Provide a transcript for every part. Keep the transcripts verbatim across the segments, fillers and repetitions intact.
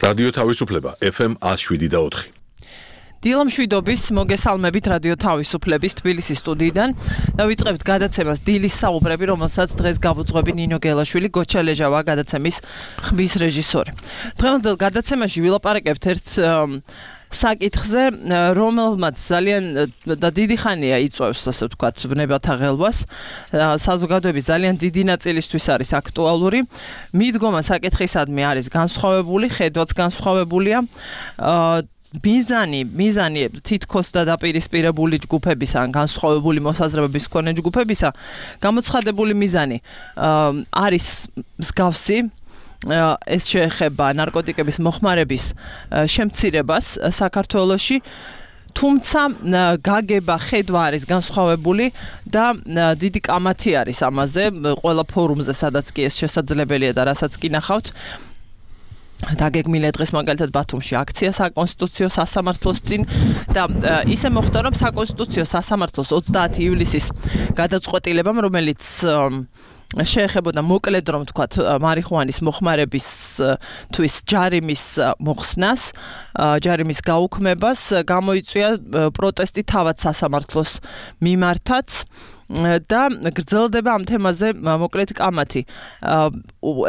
რადიო თავისუფლება ეფ ემ one oh seven და four. დილამშვიდობის მოგესალმებით რადიო თავისუფლების თბილისის სტუდიიდან. დავიწყებთ გადაცემას დილის საუბრები, რომელსაც დღეს გავუძღვები ნინო გელაშვილი, გოჩა ლეჟავა გადაცემის ხმის რეჟისორი. დღევანდელ გადაცემაში ვილაპარაკებთ ერთ საკითხზე, რომელმაც ძალიან და დიდი ხანია იწვევს, ასე ვთქვათ, ბნებათა ღელვას. საზოგადოების ძალიან დიდი ნაწილისთვის არის აქტუალური. მიდგომა საკითხისადმი არის განსხვავებული, ხედვაც განსხვავებულია. მიზანი, მიზანი თითქოს და დაპირისპირებული ჯგუფებისა, ან განსხვავებული მოსაზრებების მქონე ჯგუფებისა, გამოცხადებული მიზანი არის მსგავსი. ეს შეეხება ნარკოტიკების მოხმარების შემცირებას საქართველოში, თუმცა გაგება, ხედვა არის განსხვავებული და დიდი კამათი არის ამაზე, ყველა ფორუმზე, სადაც კი ეს შესაძლებელია და რასაც კი ნახავთ. დაგეგმილია დღეს მაგალითად ბათუმში აქცია საკონსტიტუციო სასამართლოს წინ და ისე მოხდა, რომ საკონსტიტუციო სასამართლოს ოცდაათი ივლისის გადაწყვეტილებამ, რომელიც შეეხებოდა მოკლედ რომ ვთქვათ მარიხუანის მოხმარებისთვის ჯარიმის მოხსნას, ჯარიმის გაუქმებას, გამოიწვია პროტესტი თავად სასამართლოს მიმართაც. და გრძელდება ამ თემაზე მოკლედ კამათი.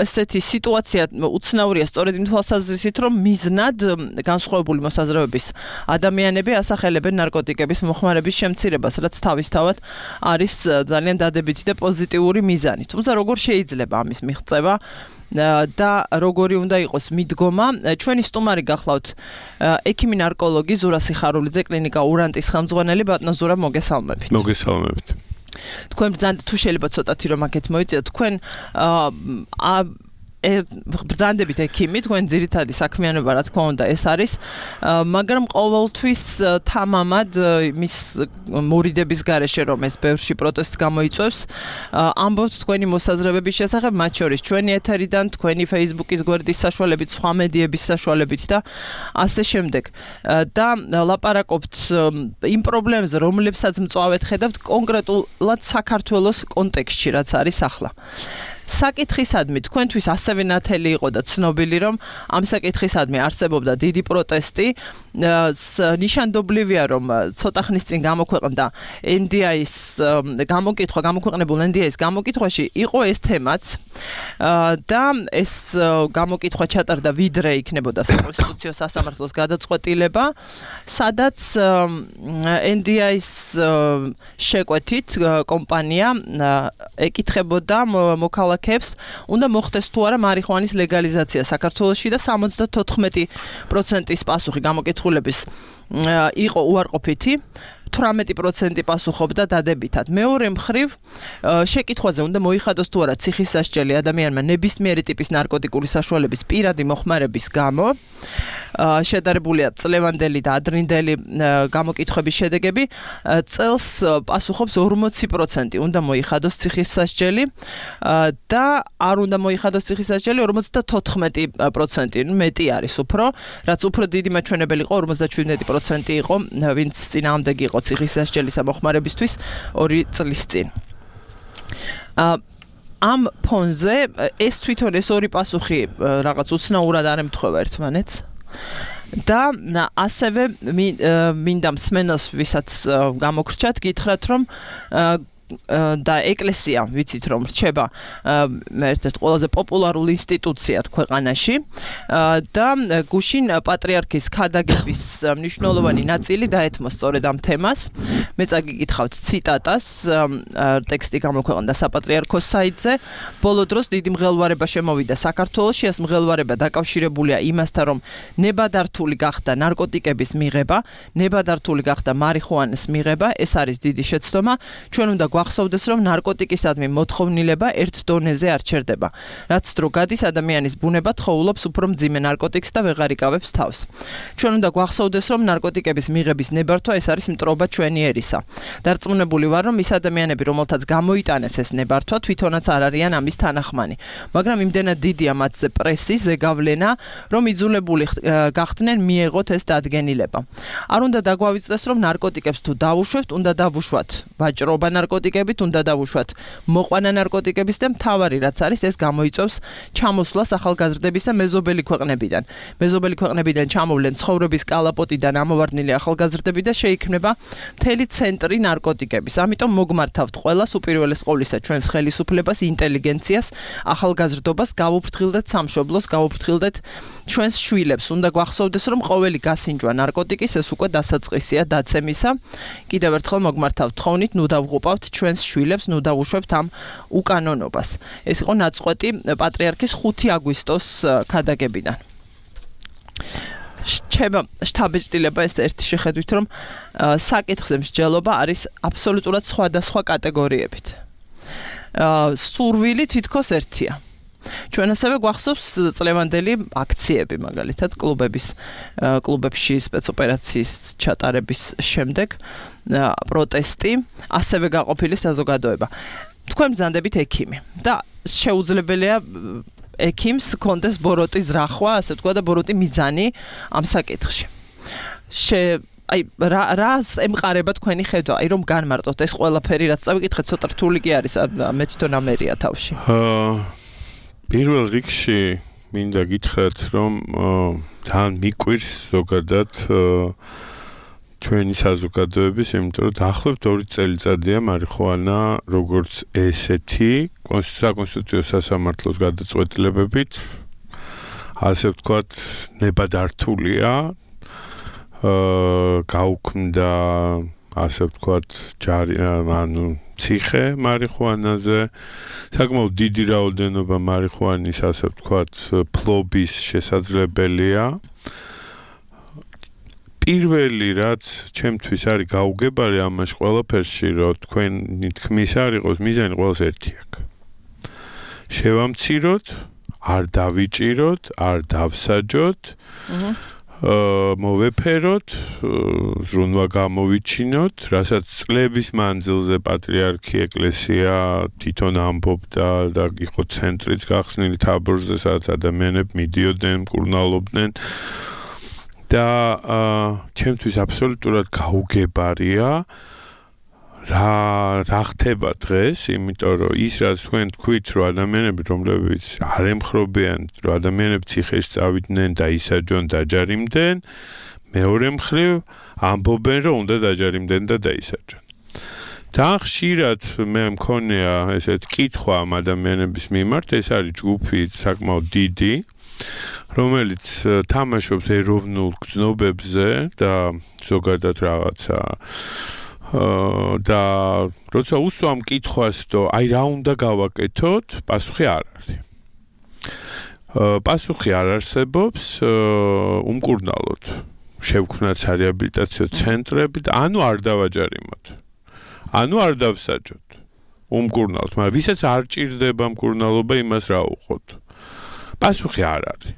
ესეთი სიტუაცია უცნაურია სწორედ იმ თვალსაზრისით, რომ მიზნად განსხვავებული მოსაზრებების ადამიანები ასახელებენ ნარკოტიკების მოხმარების შემცირებას, რაც თავისთავად არის ძალიან დადებითი და პოზიტიური მიზანი. თუმცა როგორ შეიძლება ამის მიღწევა და როგორი უნდა იყოს მიდგომა? ჩვენი სტუმარი გახლავთ ექიმი ნარკოლოგი ზურა სიხარულიძე, კლინიკა ურანტის ხელმძღვანელი. ბატონო ზურა, მოგესალმებით. მოგესალმებით. თქვენ ბრძანდებით, თუ შეიძლება ცოტათი რომ აქეთ მოიწიოთ, თქვენ ბრძანდებით ექიმი, თქვენ ძირითადი საქმიანობა რა თქმა უნდა ეს არის, მაგრამ ყოველთვის თამამად მის მორიდების გარეშე რომ ეს ბევრში პროტესტს გამოიწვევს, ამბობთ თქვენი მოსაზრებების შესახებ, მათ შორის ჩვენი ეთერიდან, თქვენი Facebook-ის გვერდის საშუალებით, სხვა მედიების საშუალებით და ასე შემდეგ. და ლაპარაკობთ იმ პრობლემებზე, რომლებსაც მწვავედ ხედავთ კონკრეტულად საქართველოს კონტექსტში, რაც არის ახლა. საკითხისადმი თქვენთვის ასევე ნათელი იყო და ცნობილი, რომ ამ საკითხისადმი არსებობდა დიდი პროტესტი. ნიშანდობლივია, რომ ცოტა ხნის წინ გამოქვეყნდა ენ დი აის გამოკითხვა, გამოქვეყნებულ ენ დი აის გამოკითხვაში იყო ეს თემაც და ეს გამოკითხვა ჩატარდა ვიდრე იქნებოდა საკონსტიტუციო სასამართლოს გადაწყვეტილება, სადაც ენ დი აის შეკვეთით კომპანია ეკითხებოდა მოქალაქეებს, უნდა მოხდეს თუ არა მარიხუანის ლეგალიზაცია საქართველოში და სამოცდათოთხმეტი პროცენტის პასუხი გამოკითხულების იყო უარყოფითი. თვრამეტი პროცენტი პასუხობდა დადებითად. მეორე მხრივ, შეკითხვაზე უნდა მოიხადოს თუ არა ციხის სასჯელი ადამიანმა ნებისმიერი ტიპის ნარკოტიკული საშუალების პირადი მოხმარების გამო. შედარებულია წლევანდელი და ადრინდელი გამოკითხვების შედეგები. წელს პასუხობს ორმოცი პროცენტი უნდა მოიხადოს ციხის სასჯელი და არ უნდა მოიხადოს ციხის სასჯელი ორმოცდათოთხმეტი პროცენტი, მეტი არის უფრო, რაც უფრო დიდი მაჩვენებელი იყო ორმოცდაშვიდმეტი პროცენტი იყო, ვინც წინააღმდეგი იყო ციხის სასჯელის მოხმარებისთვის ორი წლის წინ. ამ ფონზე ეს თვითონ ეს ორი პასუხი რაღაც უცნაურად არ ემთხვევა ერთმანეთს. და ასევე მინდა მსმენელს, ვისაც გამოგრჩათ, გითხრათ, რომ და ეკლესია, ვიცით რომ რჩება ერთ-ერთ ყველაზე პოპულარული ინსტიტუციად ქვეყანაში და გუშინ პატრიარქის ქადაგების მნიშვნელოვანი ნაწილი დაეთმო სწორედ ამ თემას. მე წაგიკითხავთ ციტატას, ტექსტი გამოქვეყნდა საპატრიარქოს საიტზე. ბოლო დროს დიდი მღელვარება შემოვიდა საქართველოში, ეს მღელვარება დაკავშირებულია იმასთან, რომ ნებადართული გახდა ნარკოტიკების მიღება, ნებადართული გახდა მარიხუანის მიღება, ეს არის დიდი შეცდომა. ჩვენ უნდა გვახსოვდეს, რომ ნარკოტიკისადმი მოთხოვნილება ერთ დონეზე არ ჩერდება. რაც დრო გადის, ადამიანის ბუნება თხოვლობს უფრო მძიმე ნარკოტიკს და ვეღარ იკავებს თავს. ჩვენ უნდა გვახსოვდეს, რომ ნარკოტიკების მიღების ნებართვა ეს არის მტრობა ჩვენი ერისა. დარწმუნებული ვარ, რომ ის ადამიანები, რომელთაც გამოიტანეს ეს ნებართვა, თვითონაც არ არიან ამის თანახმანი. მაგრამ იმდენად დიდია მათზე პრესი, ზეგავლენა, რომ იძულებული გახდნენ მიეღოთ ეს დადგენილება. არ უნდა დაგვავიწყდეს, რომ ნარკოტიკებს თუ დავუშვებთ, უნდა დავუშვათ ვაჭრობა ნარკოტიკებს ნარკოტიკებით უნდა დავუშვათ მოყვანა ნარკოტიკების და მთავარი რაც არის ეს გამოიწვევს ჩამოსვლას ახალგაზრდების და მეზობელი ქვეყნებიდან. მეზობელი ქვეყნებიდან ჩამოვლენ ცხოვრების კალაპოტიდან ამოვარდნილი ახალგაზრდები და შეიქმნება მთელი ცენტრი ნარკოტიკების. ამიტომ მოგმართავთ ყველას უპირველეს ყოვლისა ჩვენს ხელისუფლებას, ინტელიგენციას, ახალგაზრდობას გავუფრთხილდეთ სამშობლოს, გავუფრთხილდეთ ჩვენს შვილებს. უნდა გვახსოვდეს რომ ყოველი გასინჯვა ნარკოტიკის ეს უკვე დასაწყისია დაცემისა. კიდევ ერთხელ მოგმართავთ თხოვნით, ნუ დავღუპავთ ჩვენს შვილებს, ნუ დავუშვებთ ამ უკანონობას. ეს იყო ნაწყვეტი პატრიარქის ხუთი აგვისტოს ქადაგებიდან. შეება შთაბეჭდილება ეს ერთი შეხედვით რომ საკითხზე მსჯელობა არის აბსოლუტურად სხვადასხვა კატეგორიებით. სურვილი თითქოს ერთია. ჩვენ ასევე გვახსოვს წლევანდელი აქციები, მაგალითად, კლუბების კლუბებში სპეცოპერაციის ჩატარების შემდეგ პროტესტი, ასევე გაყოფილი საზოგადოება. თქვენ ბრძანდებით ექიმი და შეუძლებელია ექიმს კონდეს ბოროტი ზრახვა, ასე თქვა და ბოროტი მიზანი ამ საკითხში. შე აი რა რას ემყარება თქვენი ხედვა, აი რომ განმარტოთ ეს ყველაფერი რაც წავიკითხეთ, ცოტა რთული კი არის, მე თვითონ ამერია თავში. პირველ რიგში მინდა გითხრათ, რომ თან მიკვირს ზოგადად ჩვენი საზოგადოების, იმიტომ რომ დაახლოებით ორი წელიწადია მარიხუანა როგორც ესეთი საკონსტიტუციო სასამართლოს გადაწყვეტილებებით, ასე ვთქვათ, ნებადართულია, გაუქმდა, ასე ვთქვათ, ჯარი, ანუ ციხე მარიხუანაზე, საკმაოდ დიდი რაოდენობა მარიხუანის, ასე ვთქვათ, ფლობის შესაძლებელია. პირველი რაც ჩემთვის არის გაუგებარი ამაში ყველაფერში, რომ თქვენი თქმის არ იყოს მიზანი ყველას ერთი აქვს. შევამციროთ, არ დავიჭიროთ, არ დავსაჯოთ, მოვეფეროთ, ზრუნვა გამოვიჩინოთ, რასაც წლების მანძილზე პატრიარქი ეკლესია თვითონ ამბობდა და იყო ცენტრიც გახსნილი თაბორზე, სადაც ადამიანები მიდიოდნენ, მკურნალობდნენ. და ჩემთვის აბსოლუტურად გაუგებარია რა რა ხდება დღეს, იმიტომ რომ ის რაც თქვენ თქვით, რომ ადამიანები რომლებიც არ ემხრობიან, რომ ადამიანები ციხეში წავიდნენ, დაისაჯონ, დაჯარიმდნენ, მეორე მხრივ ამბობენ, რომ უნდა დაჯარიმდნენ და დაისაჯონ. და ხშირად მე მქონია ესეთ კითხვა ამ ადამიანების მიმართ, ეს არის ჯგუფი საკმაოდ დიდი, რომელიც თამაშობს ეროვნულ გზნობებზე და ზოგადად რაღაცა და როცა უსვამ კითხვას, რომ აი რა უნდა გავაკეთოთ, პასუხი არ არის. პასუხი არ არსებობს, უმკურნალოდ. შევქმნათ რეაბილიტაციო ცენტრები და ანუ არ დავაჯარიმოთ. ანუ არ დავსაჯოთ. უმკურნალოდ, მაგრამ ვისაც არ ჭირდება მკურნალობა, იმას რა უყოთ. პასუხი არ არის.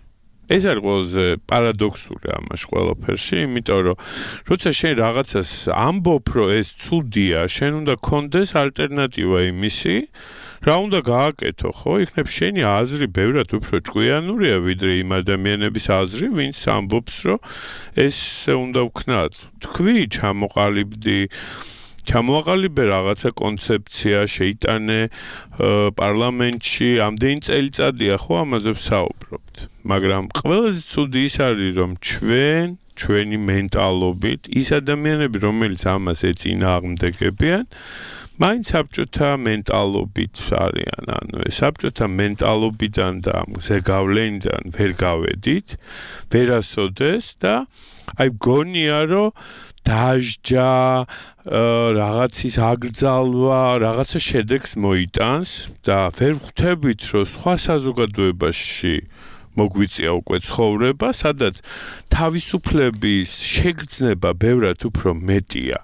ეს არის ყველაზე პარადოქსული ამაში ყველაფერში, იმიტომ რომ როცა შენ რაღაცას ამბობ, რომ ეს ცუდია, შენ უნდა გქონდეს ალტერნატივა იმისი, რა უნდა გააკეთო, ხო? იქნებ შენი აზრი ბევრად უფრო ჭკვიანურია, ვიდრე იმ ადამიანების აზრი, ვინც ამბობს, რომ ეს უნდა ვქნათ. თქვი, ჩამოყალიბდი ჩამოაყალიბე რაღაცა კონცეფცია, შეიტანე პარლამენტში, ამდენი წელიწადია ხო ამაზე ვსაუბრობთ. მაგრამ ყველაზე ცუდი ის არის, რომ ჩვენ, ჩვენი მენტალობით, ის ადამიანები, რომელიც ამას ეწინააღმდეგებიან, მაინც საბჭოთა მენტალობით არიან, ანუ ეს საბჭოთა მენტალობიდან და ზეგავლენიდან ვერ გავედით, ვერასოდეს და აი გონია, რომ დაჟჯა, რაღაცის აკრძალვა, რაღაცა შედეგს მოიტანს და ვერ ხვდებით, რომ სხვა საზოგადოებაში მოგვიწია უკვე ცხოვრება, სადაც თავისუფლების შეგრძნება ბევრად უფრო მეტია.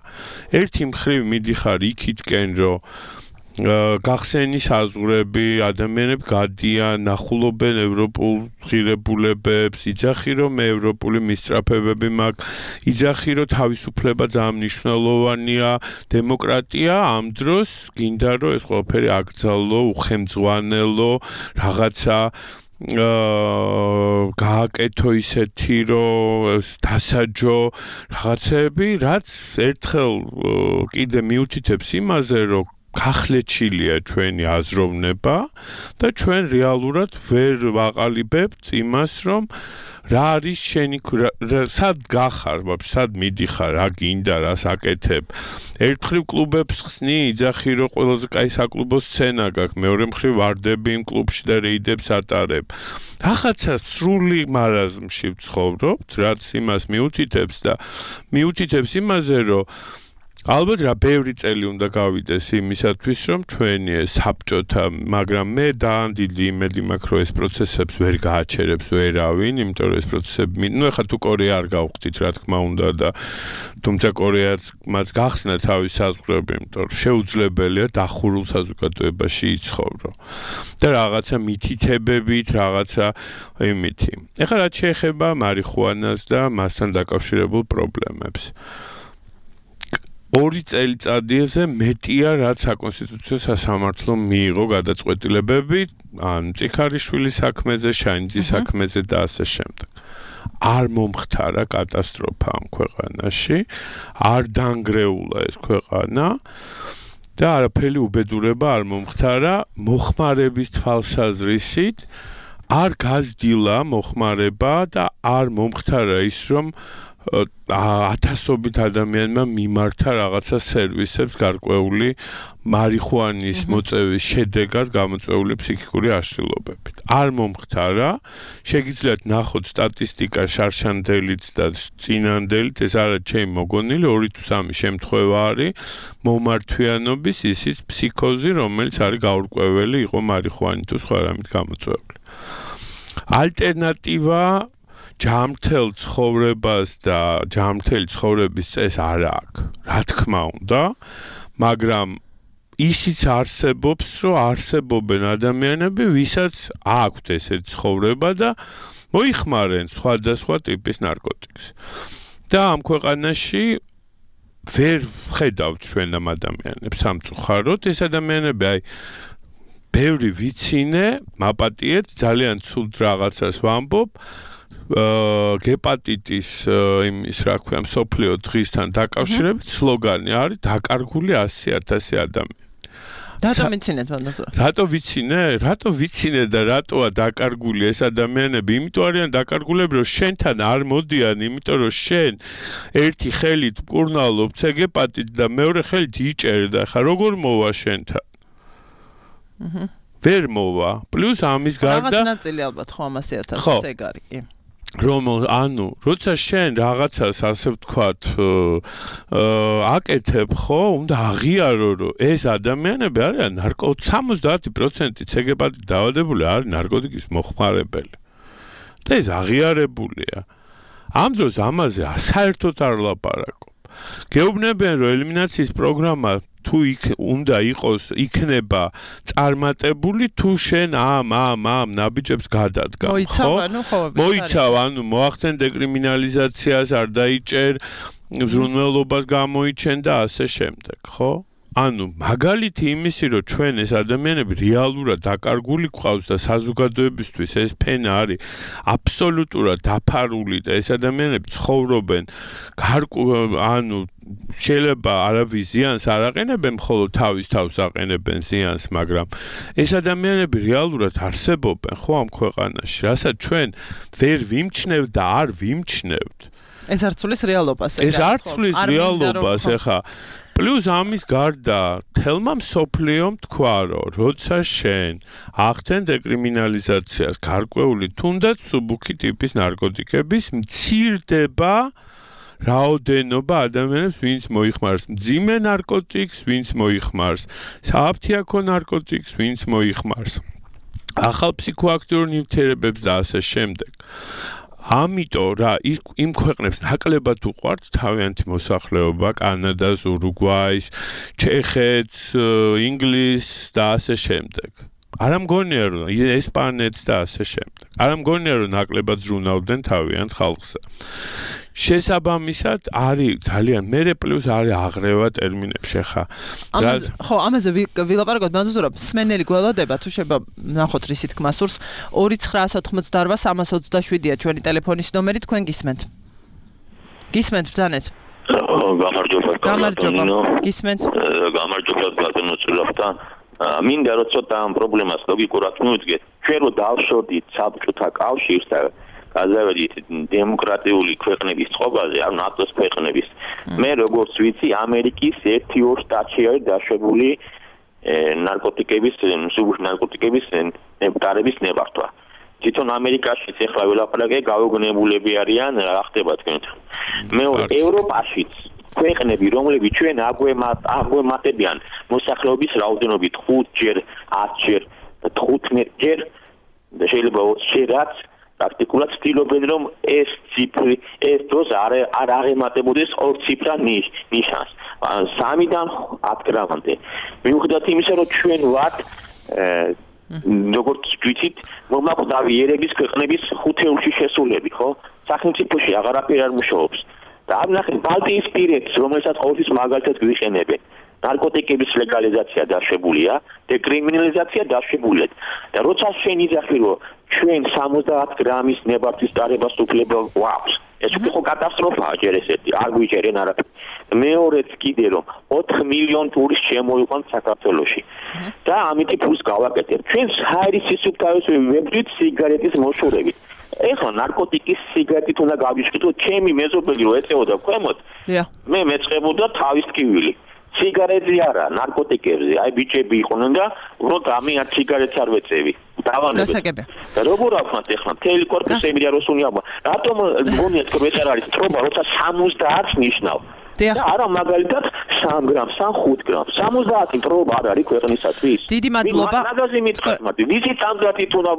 ერთი მხრივ მიდიხარ იქითკენ, რომ გახსენის აზღვრები, ადამიანები გადიან, ნახულობენ ევროპულ ღირებულებებს, იძახი რომ ევროპული მისწრაფებები მაქვს, იძახი რომ თავისუფლება ძალიან მნიშვნელოვანია, დემოკრატია, ამ დროს გინდა რომ ეს ყველაფერი აკრძალო, უხემძღვანელო, რაღაცა გააკეთო ისეთი, რომ დასაჯო რაღაცები, რაც ერთხელ კიდე მიუთითებს იმაზე, რომ გახლეჩილია ჩვენი აზროვნება და ჩვენ რეალურად ვერ ვაყალიბებთ იმას, რომ რა არის შენი სად გახარ, ვაფშე სად მიდიხარ, რა გინდა, რას აკეთებ. ერთხელ კლუბებს ხსნი, იძახი რომ ყველაზე კაი საკლუბო სცენა გაქვს, მეორე მხრივ ვარდები იმ კლუბში და რეიდებს ატარებ. რაღაცა სრული მარაზმში ვცხოვრობთ, რაც იმას მიუთითებს და მიუთითებს იმაზე, რომ ალბათ რა ბევრი წელი უნდა გავიდეს იმისათვის, რომ ჩვენი საბჭოთა, მაგრამ მე ძალიან დიდი იმედი მაქვს, რომ ეს პროცესებს ვერ გააჩერებს ვერავინ, იმიტომ რომ ეს პროცესები, ნუ ეხლა თუ კორეა არ გავხდით, რა თქმა უნდა და თუმცა კორეაც მას გახსნა თავის საზღვრები, იმიტომ რომ შეუძლებელია დახურულ საზოგადოებაში იცხოვრო. და რაღაცა მითითებებით, რაღაცა იმითი. ეხლა რაც შეეხება მარიხუანას და მასთან დაკავშირებულ პრობლემებს. ორი წელიწადიაზე მეტია, რაც საკონსტიტუციო სასამართლო მიიღო გადაწყვეტილებები, ან მწიქარიშვილის საქმეზე, შანიძის საქმეზე და ასე შემდეგ. არ მომხდარა კატასტროფა ამ ქვეყანაში, არ დანგრეულა ეს ქვეყანა და არაფერი უბედურება არ მომხდარა მოხმარების თვალსაზრისით, არ გაზრდილა მოხმარება და არ მომხდარა ის, რომ ათასობით ადამიანმა მიმართა რაღაცა სერვისებს გარკვეული მარიხუანის მოწევის შედეგად გამოწვეული ფსიქიკური აშლილობებით. არ მომხდარა, შეგიძლიათ ნახოთ სტატისტიკა შარშანდელით და წინანდელით, ეს არა ჩემი მოგონილი, ორი თუ სამი შემთხვევა არის მომართვიანობის ისიც ფსიქოზი, რომელიც არის გაურკვეველი იყო მარიხუანი თუ სხვა რამით გამოწვეული. ალტერნატივა ჯამრთელ ცხოვრებას და ჯამრთელი ცხოვრების წესს არ აქვს. რა თქმა უნდა, მაგრამ ისიც არსებობს, რომ არსებობენ ადამიანები, ვისაც აქვთ ესეთი ცხოვრება და მოიხმარენ სხვადასხვა ტიპის ნარკოტიკს. და ამ ქვეყანაში ვერ ხედავთ ჩვენ ამ ადამიანებს სამწუხაროდ, ეს ადამიანები აი ბევრი ვიცინე, მაპატიეთ, ძალიან ცუდ რაღაცას ვამბობ, გეპატიტის იმის რა ქვია მსოფლიო დღისთან დაკავშირებით სლოგანი არის დაკარგული ასი ათასი ადამიანი. რატო ვიცინეთ მანდასო? რატო ვიცინე? რატო ვიცინე და რატოა დაკარგული ეს ადამიანები? იმიტომ არიან დაკარგულები, რომ შენთან არ მოდიან, იმიტომ რომ შენ ერთი ხელით მკურნალობ გეპატიტ და მეორე ხელით იჭერ და ხა როგორ მოვა შენთან? აჰა. ვერ მოვა. პლუს ამის გარდა რაღაც ნაწილი ალბათ ხო ამასი ათასი ეგ არის, კი. რომ ანუ როცა შენ რაღაცას ასე ვთქვათ აკეთებ ხო უნდა აღიარო რომ ეს ადამიანები არიან ნარკო სამოცდაათი პროცენტი ცეგებად დაავადებული არის ნარკოტიკის მოხმარებელი და ეს აღიარებულია ამ დროს ამაზე საერთოდ არ ლაპარაკობ გეუბნებიან რომ ელიმინაციის პროგრამა თუ იქ უნდა იყოს იქნება წარმატებული თუ შენ ამ ამ ამ ნაბიჯებს გადადგა ხო მოიცავ ანუ მოახდენ დეკრიმინალიზაციას არ დაიჭერ ზრუნველობას გამოიჩენ და ასე შემდეგ ხო ანუ მაგალითი იმისი რომ ჩვენ ეს ადამიანები რეალურად დაკარგული გვყავს და საზოგადოებისთვის ეს ფენა არის აბსოლუტურად დაფარული და ეს ადამიანები ცხოვრობენ ანუ შეიძლება არავის ზიანს არ აყენებენ მხოლოდ თავის თავს აყენებენ ზიანს მაგრამ ეს ადამიანები რეალურად არსებობენ ხო ამ ქვეყანაში რასაც ჩვენ ვერ ვიმჩნევთ და არ ვიმჩნევთ ეს არ ცulis რეალობას ეს არ ცulis რეალობას ეხა პლუს ამის გარდა თელმა მსოფლიომ თქვა რომ როცა შენ ახდენ დეკრიმინალიზაციას გარკვეული თუნდაც სუბუქი ტიპის ნარკოტიკების მცირდება რაოდენობა ადამიანებს ვინც მოიხმარს მძიმე ნარკოტიკს ვინც მოიხმარს სააფთიაქო ნარკოტიკს ვინც მოიხმარს ახალ ფსიქოაქტიურ ნივთიერებებს და ასე შემდეგ ამიტომ რა იმ ქვეყნებს ნაკლებად უყვართ თავიანთი მოსახლეობა კანადას, ურუგვაის, ჩეხეთს, ინგლისს და ასე შემდეგ. არ ამგონია რომ ესპანეთს და ასე შემდეგ. არ ამგონია რომ ნაკლებად ზრუნავდნენ თავიანთ ხალხზე. შესაბამისად არის ძალიან მერე პლუს არის აღრევა ტერმინებში ხა. ხო, ამაზე ვილაპარაკოთ, მანდ რომ სმენელი გველოდება თუ შეიძლება ნახოთ რისი თქმა სურს ორი ცხრა ოცდაოთხმოცდაოთხ სამას ოცდაშვიდია ჩვენი ტელეფონის ნომერი თქვენ გისმენთ. გისმენთ ბრძანეთ. გამარჯობა გამარჯობა გისმენთ გამარჯობა ბატონო ცურაფთა მინდა რომ ცოტა ამ პრობლემას ლოგიკურად მივიძგეთ ჩვენ რო დავშორდით საბჭოთა კავშირს და გაზავედით დემოკრატიული ქვეყნების წყობაზე ან ნატოს ქვეყნების მე როგორც ვიცი ამერიკის ერთი ორ შტატში არის დაშვებული ნარკოტიკების მსუბუქი ნარკოტიკების ნებტარების ნებართვა თვითონ ამერიკაშიც ეხლა ველაპარაკე გაუგნებულები არიან რა ხდება თქვენთან მეორე ევროპაშიც ქვეყნები რომლებიც ჩვენ აგვემატებიან მოსახლეობის რაოდენობით ხუთჯერ ათჯერ თხუთმეტჯერ და შეიძლება ოცჯერაც პრაქტიკულად ცდილობენ რომ ეს ციფრი ეს დროს არ არ აღემატებოდეს ორ ციფრა ნიშანს სამიდან ათ გრამამდე მიუხედავად იმისა რომ ჩვენ ვართ როგორც ვიცით მომაკვდავი ერების ქვეყნების ხუთეულში შესულები ხო სახელმწიფოში აღარაფერი არ მუშაობს და ამ ნახეთ ბალტიისპირეთს რომელსაც ყოველთვის მაგალითად გვიყენებენ ნარკოტიკების ლეგალიზაცია დაშვებულია დეკრიმინალიზაცია დაშვებულია და როცა შენ იძახი რომ ჩვენ სამოცდაათ გრამის ნებართვის დარებას უფლება გვაქვს ეს უკვე ხო კატასტროფაა ჯერ ესეთი არ გვიჭერენ არაფერი მეორეც კიდე რომ ოთხ მილიონი ტურისტი შემოიყვანთ საქართველოში და ამით ფულს გავაკეთებ ჩვენ ჰაერის სისუფთავეს ვებრძვით სიგარეტის მოშორებით ეხლა ნარკოტიკის სიგარეტით უნდა გავიშკიდო ჩემი მეზობელი რო ეწეოდა ქვემოთ მე მეწყებოდა თავის ტკივილი სიგარეტზე არა ნარკოტიკებზე აი ბიჭები იყვნენ და უბრალოდ ამი არ სიგარეტს არ ვეწევი დასაგებია და როგორ ავხმათ ეხლა მთელი კორპუსები რა როსუნია რატომ გონიათ რომ ეს არ არის თრობა როცა სამოცდაათს ნიშნავ და არა მაგალითად სამ გრამს ხუთ გრამს სამოცდაათი თრობა არ არის ქვეყნისათვის დიდი მადლობა მაგაზე მითხრათ მაგრამ ვიზი სამოცდაათი თუნა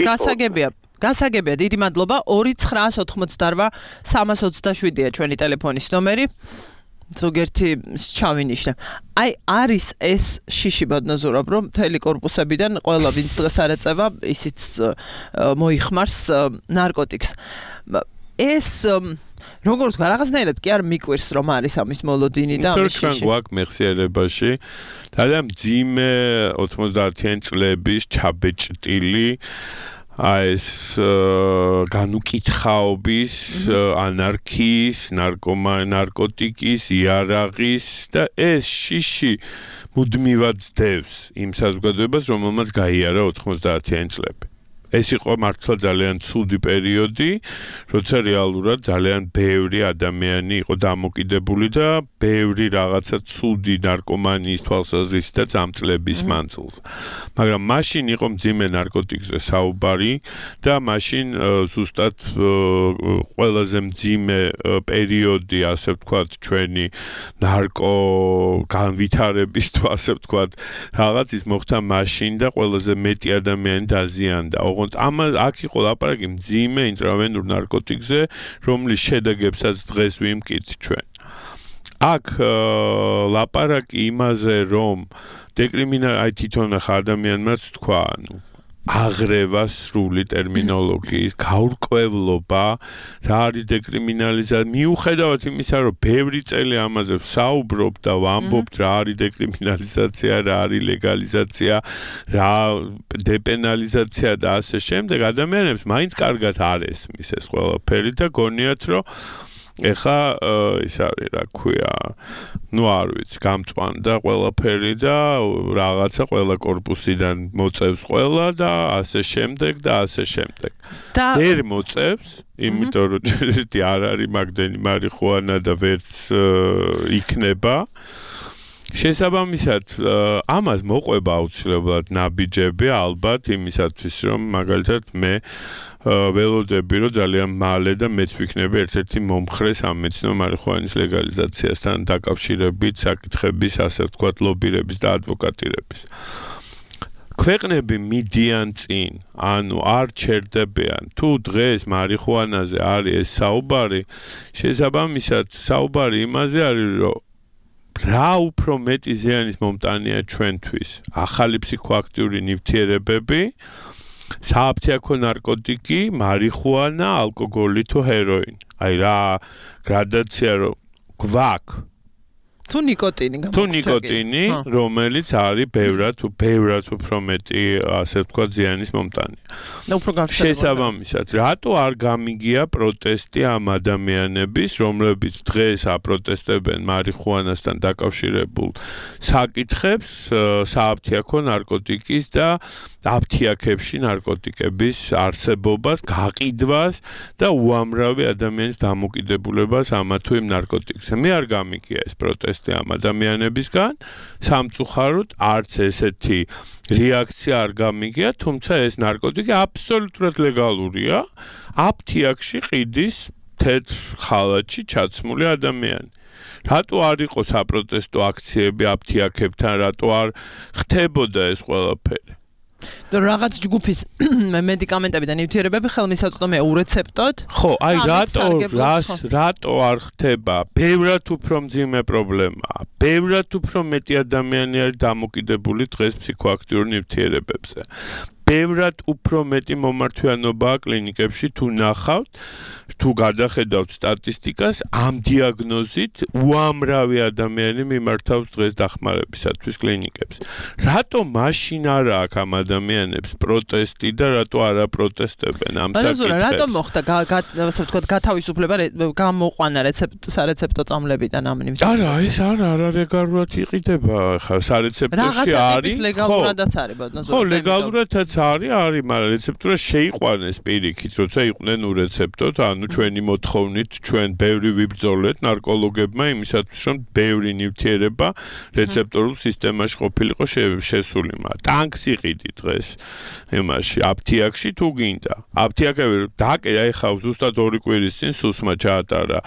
დასაგებია გასაგებია დიდი მადლობა ორი ცხრაას ოთხმოცდაოთხ სამას ოცდაშვიდია ჩვენი ტელეფონის ნომერი ზოგერთი ჩავინიშნე. აი არის ეს შიში ბადნაზურობ რომ მთელი კორპუსებიდან ყველა ვინც დღეს არ ეწევა ისიც მოიხმარს ნარკოტიკს. ეს როგორ თქვა რაღაცნაირად კი არ მიკვირს რომ არის ამის მოლოდინი და ამის შიში. ჩვენ გვაქვს მეხსიერებაში ძალიან მძიმე ოცდაათიანი წლების ჩაბეჭდილი აი ეს განუკითხაობის, ანარქიის, ნარკოტიკის, იარაღის და ეს შიში მუდმივად ძდევს იმ საზოგადოებას, რომელმაც გაიარა ოცდაათიანი წლები. ეს იყო მართლა ძალიან ცუდი პერიოდი, როცა რეალურად ძალიან ბევრი ადამიანი იყო დამოკიდებული და ბევრი რაღაცა ცუდი ნარკომანიის თვალსაზრისითაც ამ წლების მანძილზე. მაგრამ მაშინ იყო მძიმე ნარკოტიკზე საუბარი და მაშინ ზუსტად ყველაზე მძიმე პერიოდი, ასე ვთქვათ, ჩვენი ნარკო განვითარების თუ ასე ვთქვათ, რაღაც ის მოხდა მაშინ და ყველაზე მეტი ადამიანი დაზიანდა. ამ აქ იყო ლაპარაკი მძიმე ინტრავენურ ნარკოტიკზე, რომლის შედეგებსაც დღეს ვიმკით ჩვენ. აქ ლაპარაკი იმაზე, რომ დეკრიმინალ აი თვითონ ახლა ადამიანმაც თქვა, ანუ აღრევა სრული ტერმინოლოგიის, გაურკვევლობა, რა არის დეკრიმინალიზაცია, მიუხედავად იმისა, რომ ბევრი წელი ამაზე ვსაუბრობ და ვამბობთ, რა არის დეკრიმინალიზაცია, რა არის ლეგალიზაცია, რა დეპენალიზაცია და ასე შემდეგ, ადამიანებს მაინც კარგად არ ესმის ეს ყველაფერი და გონიათ, რომ ეხა ის არის რა ქვია, ნუ არ ვიცი, გამწვანდა ყველაფერი და რაღაცა ყველა კორპუსიდან მოწევს ყველა და ასე შემდეგ და ასე შემდეგ. ვერ მოწევს, იმიტომ რომ ერთი არ არის მაგდენი მარიხუანა და ვერც იქნება. შესაბამისად, ამას მოყვება აუცილებლად ნაბიჯები, ალბათ იმისათვის, რომ მაგალითად მე ველოდები, რომ ძალიან მალე და მეც ვიქნები ერთ-ერთი მომხრე სამეცნიერო მარიხუანის ლეგალიზაციასთან დაკავშირებით საკითხების, ასე ვთქვათ, ლობირების და ადვოკატირების. ქვეყნები მიდიან წინ, ანუ არ ჩერდებიან. თუ დღეს მარიხუანაზე არის ეს საუბარი, შესაბამისად, საუბარი იმაზე არის, რომ რა უფრო მეტი ზიანის მომტანია ჩვენთვის. ახალი ფსიქოაქტიური ნივთიერებები, სააფთიაქო ნარკოტიკი, მარიხუანა, ალკოგოლი თუ ჰეროინი. აი რა გრადაცია რომ გვაქვს თუ ნიკოტინი თუ ნიკოტინი, რომელიც არის ბევრად ბევრად უფრო მეტი, ასე ვთქვათ, ზიანის მომტანი. და უფრო გავრცელებული. შესაბამისად, რატო არ გამიგია პროტესტი ამ ადამიანების, რომლებიც დღეს აპროტესტებენ მარიხუანასთან დაკავშირებულ საკითხებს, სააფთიაქო ნარკოტიკის და აფთიაქებში ნარკოტიკების არსებობას, გაყიდვას და უამრავი ადამიანის დამოკიდებულებას ამა თუ იმ ნარკოტიკზე. მე არ გამიგია ეს პროტესტი ამ ადამიანებისგან, სამწუხაროდ არც ესეთი რეაქცია არ გამიგია, თუმცა ეს ნარკოტიკი აბსოლუტურად ლეგალურია. აფთიაქში ყიდის თეთრ ხალათში ჩაცმული ადამიანი. რატო არ იყო საპროტესტო აქციები აფთიაქებთან, რატო არ ხდებოდა ეს ყველაფერი? და რაღაც ჯგუფის მედიკამენტები და ნივთიერებები ხელმისაწვდომია ურეცეპტოდ. ხო, აი რატო რას რატო არ ხდება? ბევრად უფრო მძიმე პრობლემაა. ბევრად უფრო მეტი ადამიანი არის დამოკიდებული დღეს ფსიქოაქტიურ ნივთიერებებზე. ბევრად უფრო მეტი მომართვიანობაა კლინიკებში თუ ნახავთ, თუ გადახედავთ სტატისტიკას, ამ დიაგნოზით უამრავი ადამიანი მიმართავს დღეს დახმარებისათვის კლინიკებს. რატო მაშინ არა აქვს ამ ადამიანებს პროტესტი და რატო არა პროტესტებენ ამ საკითხებს? რატო მოხდა, ასე ვთქვათ, გათავისუფლება გამოყვანა რეცეპტ სარეცეპტო წამლებიდან ამ ნიმუშს? არა, ეს არა, არა ლეგალურად იყიდება, ხა სარეცეპტოში არის. ლეგალურადაც არის, ბატონო. ხო, ლეგალურადაც არის, არის, მაგრამ რეცეპტურა შეიყვანეს პირიქით, როცა იყვნენ ურეცეპტოდ, ანუ ჩვენი მოთხოვნით, ჩვენ ბევრი ვიბრძოლეთ ნარკოლოგებმა იმისათვის, რომ ბევრი ნივთიერება რეცეპტორულ სისტემაში ყოფილიყო შესული, მაგრამ ტანკს იყიდი დღეს იმაში, აფთიაქში თუ გინდა. აფთიაქები დაკე, აი ხა ზუსტად ორი კვირის წინ სუსმა ჩაატარა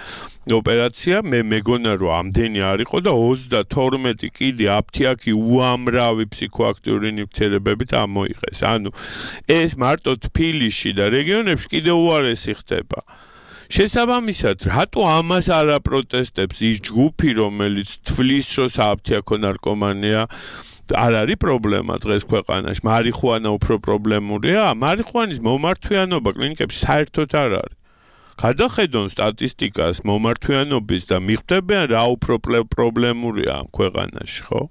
ოპერაცია, მე მეგონა რომ ამდენი არ იყო და ოცდათორმეტი კილი აფთიაქი უამრავი ფსიქოაქტიური ნივთიერებებით ამოიღეს. ანუ ეს მარტო თბილისში და რეგიონებში კიდევ უარესი ხდება. შესაბამისად, რატო ამას არ აპროტესტებს ის ჯგუფი, რომელიც თვლის, რომ სააფთიაქო ნარკომანია არ არის პრობლემა დღეს ქვეყანაში, მარიხუანა უფრო პრობლემურია, მარიხუანის მომართვიანობა კლინიკებში საერთოდ არ არის. გადახედონ სტატისტიკას მომართვიანობის და მიხვდებიან რა უფრო პრობლემურია ამ ქვეყანაში, ხო?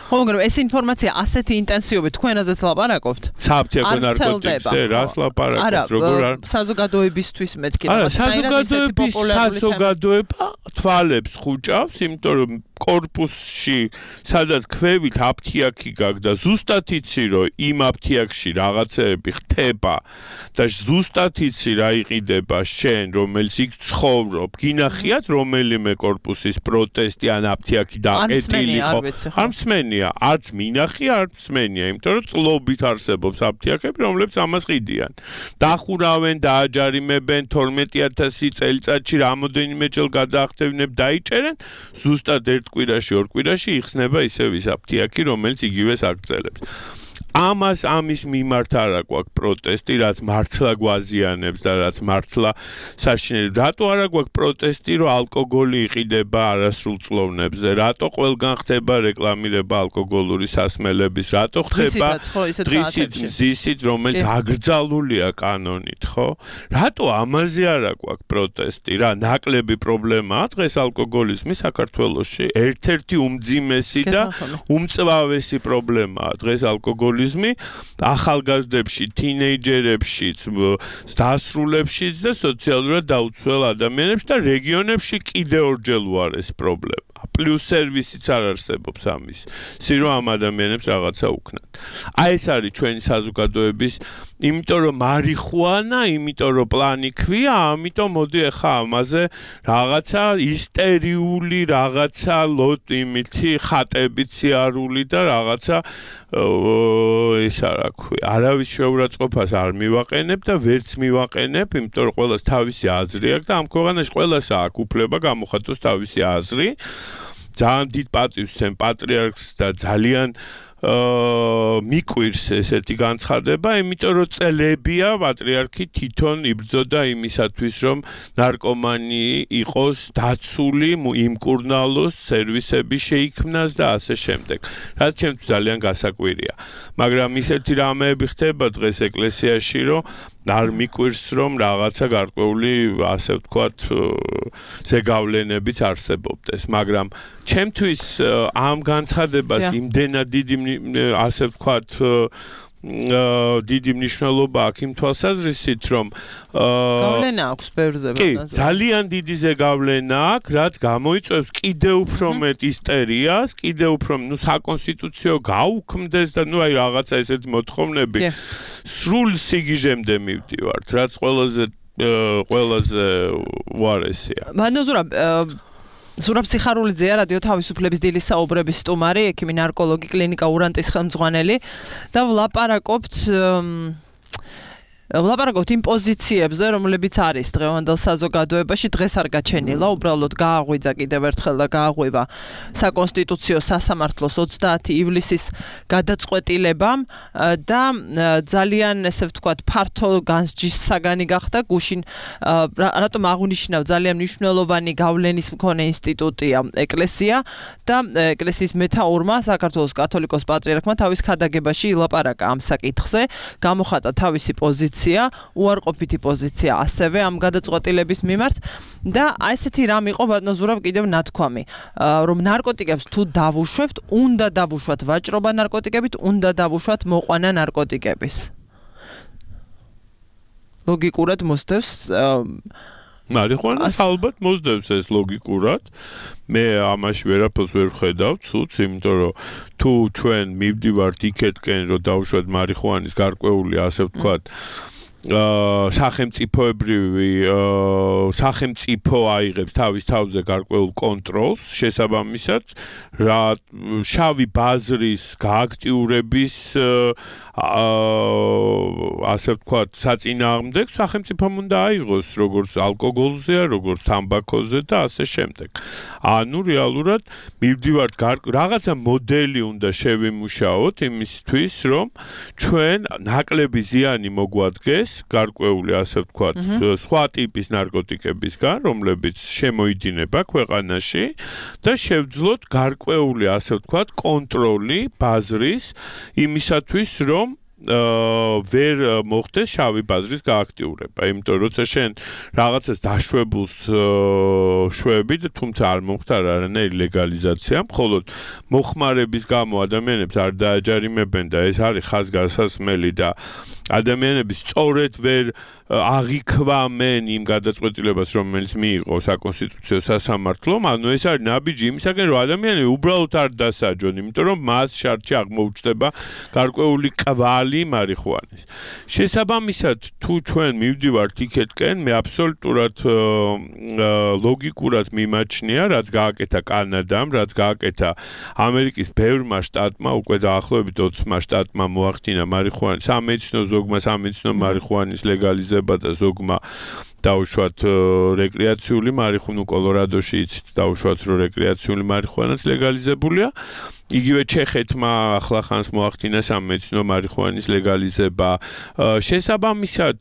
ხო, მაგრამ ეს ინფორმაცია ასეთი ინტენსივობით თქვენაზეც ლაპარაკობთ? სააფთიაქო ნარკოტიკზე რას ლაპარაკობთ, როგორ არ საზოგადოებისთვის მეთქი. არა, საზოგადოების საზოგადოება თვალებს ხუჭავს, იმიტომ რომ კორპუსში, სადაც ქვევით აფთიაქი გაქვს და ზუსტად იცი, რომ იმ აფთიაქში რაღაცეები ხდება და ზუსტად იცი რა იყიდება შენ, რომელიც იქ ცხოვრობ, გინახიათ რომელიმე კორპუსის პროტესტი ან აფთიაქი დაკეტილი ხო? არ მსმენია, არც მინახი, არც მსმენია, იმიტომ რომ წლობით არსებობს აფთიაქები, რომლებიც ამას ყიდიან. დახურავენ, დააჯარიმებენ თორმეტი ათასი წელიწადში რამოდენიმე ჯერ გადაახტევინებ დაიჭერენ, ზუსტად ერთ კვირაში, ორ კვირაში იხსნება ისევ ის აფთიაქი, რომელიც იგივეს აგრძელებს. ამას ამის მიმართ არ აქვს პროტესტი, რაც მართლა გვაზიანებს და რაც მართლა საშინელი. რატო არ აქვს პროტესტი, რომ ალკოგოლი იყიდება არასრულწლოვნებზე? რატო ყველგან ხდება რეკლამირება ალკოგოლური სასმელების? რატო ხდება დღისით მზისით, რომელიც აკრძალულია კანონით, ხო? რატო ამაზე არ აქვს პროტესტი? რა ნაკლები პრობლემაა დღეს ალკოგოლიზმი საქართველოში? ერთ-ერთი უმძიმესი და უმწვავესი პრობლემაა დღეს ალკოგოლიზმი. ახალგაზრდებში, თინეიჯერებშიც, დასრულებშიც და სოციალურად დაუცველ ადამიანებში და რეგიონებში კიდევ ორჯერ უარეს პრობლემა. პლუს სერვისიც არ არსებობს ამის. სირო ამ ადამიანებს რაღაცა უქნათ. აი ეს არის ჩვენი საზოგადოების, იმიტომ რომ მარიხუანა, იმიტომ რომ პლანი ქვია, ამიტომ მოდი ახლა ამაზე რაღაცა ისტერიული, რაღაცა ლოთ იმითი ხატებით სიარული და რაღაცა ეს არა ქვია. არავის შეურაცხყოფას არ მივაყენებ და ვერც მივაყენებ, იმიტომ რომ ყველას თავისი აზრი აქვს და ამ ქვეყანაში ყველას აქვს უფლება გამოხატოს თავისი აზრი. ძალიან დიდ პატივს ვცემ პატრიარქს და ძალიან მიკვირს ესეთი განცხადება, იმიტომ რომ წელებია პატრიარქი თვითონ იბრძოდა იმისათვის, რომ ნარკომანი იყოს დაცული, იმკურნალოს, სერვისები შეიქმნას და ასე შემდეგ. რაც ჩემთვის ძალიან გასაკვირია. მაგრამ ისეთი რამეები ხდება დღეს ეკლესიაში, რომ არ მიკვირს რომ რაღაცა გარკვეული ასე ვთქვათ ზეგავლენებიც არსებობდეს, მაგრამ ჩემთვის ამ განცხადებას იმდენად დიდი ასე ვთქვათ დიდი მნიშვნელობა აქვს იმ თვალსაზრისით, რომ გავლენა აქვს ბევრზე. კი, ძალიან დიდი ზეგავლენა აქვს, რაც გამოიწვევს კიდევ უფრო მეტ ისტერიას, კიდევ უფრო, ну, საკონსტიტუციო გაუქმდეს და ну, აი რაღაცა ესეთი მოთხოვნები სრულ სიგიჟემდე მივდივართ, რაც ყველაზე ყველაზე უარესია. მანოზურა ზურაბ სიხარულიძეა რადიო თავისუფლების დილის საუბრების სტუმარი, ექიმი ნარკოლოგი, კლინიკა ურანტის ხელმძღვანელი და ვლაპარაკობთ ვლაპარაკობთ იმ პოზიციებზე, რომლებიც არის დღევანდელ საზოგადოებაში, დღეს არ გაჩენილა, უბრალოდ გააღვიძა კიდევ ერთხელ და გააღვივა საკონსტიტუციო სასამართლოს ოცდაათი ივლისის გადაწყვეტილებამ და ძალიან ესე ვთქვათ ფართო განსჯის საგანი გახდა გუშინ რატომ აღნიშნავ ძალიან მნიშვნელოვანი გავლენის მქონე ინსტიტუტია ეკლესია და ეკლესიის მეთაურმა საქართველოს კათოლიკოს პატრიარქმა თავის ქადაგებაში ილაპარაკა ამ საკითხზე, გამოხატა თავისი პოზიცია უარყოფითი პოზიცია ასევე ამ გადაწყვეტილების მიმართ და აი ესეთი რამ იყო ბატონო ზურაბ კიდევ ნათქვამი რომ ნარკოტიკებს თუ დავუშვებთ, უნდა დავუშვათ ვაჭრობა ნარკოტიკებით, უნდა დავუშვათ მოყვანა ნარკოტიკების. ლოგიკურად მოსდევს მარიხუანას ალბათ მოსდევს ეს ლოგიკურად. მე ამაში ვერაფერს ვერ ვხედავ ცუდს, იმიტომ რომ თუ ჩვენ მივდივართ იქეთკენ, რომ დავუშვათ მარიხუანის გარკვეული ასე ვთქვათ სახელმწიფოებრივი სახელმწიფო აიღებს თავის თავზე გარკვეულ კონტროლს, შესაბამისად რა შავი ბაზრის გააქტიურების ასე ვთქვათ საწინააღმდეგო სახელმწიფომ უნდა აიღოს, როგორც ალკოგოლზეა, როგორც თამბაქოზე და ასე შემდეგ. ანუ რეალურად მივდივართ რაღაცა მოდელი უნდა შევიმუშაოთ იმისთვის, რომ ჩვენ ნაკლები ზიანი მოგვადგეს გარკვეული ასე ვთქვათ სხვა ტიპის ნარკოტიკებისგან, რომლებიც შემოიდინება ქვეყანაში და შევძლოთ გარკვეული ასე ვთქვათ კონტროლი ბაზრის იმისათვის, რომ ვერ მოხდეს შავი ბაზრის გააქტიურება. იმიტომ რომ როცა შენ რაღაცას დაშვებულს შვები და თუმცა არ მოხდა არანაირი ლეგალიზაცია, მხოლოდ მოხმარების გამო ადამიანებს არ დააჯარიმებენ და ეს არის ხაზგასასმელი და ადამიანები სწორედ ვერ აღიქვამენ იმ გადაწყვეტილებას, რომელიც მიიღო საკონსტიტუციო სასამართლომ, ანუ ეს არის ნაბიჯი იმისაგან, რომ ადამიანები უბრალოდ არ დასაჯონ, იმიტომ რომ მას შარდში აღმოუჩნდება გარკვეული კვალი მარიხუანის. შესაბამისად, თუ ჩვენ მივდივართ იქეთკენ, მე აბსოლუტურად ლოგიკურად მიმაჩნია, რაც გააკეთა კანადამ, რაც გააკეთა ამერიკის ბევრმა შტატმა, უკვე დაახლოებით ოცმა შტატმა მოახდინა მარიხუანის სამედიცინო ზოგმა სამედიცინო მარიხუანის ლეგალიზება და ზოგმა დაუშვათ რეკრეაციული მარიხუანა, კოლორადოში იცით დაუშვათ რომ რეკრეაციული მარიხუანაც ლეგალიზებულია. იგივე ჩეხეთმა ახლახანს მოახდინა სამედიცინო მარიხუანის ლეგალიზება. შესაბამისად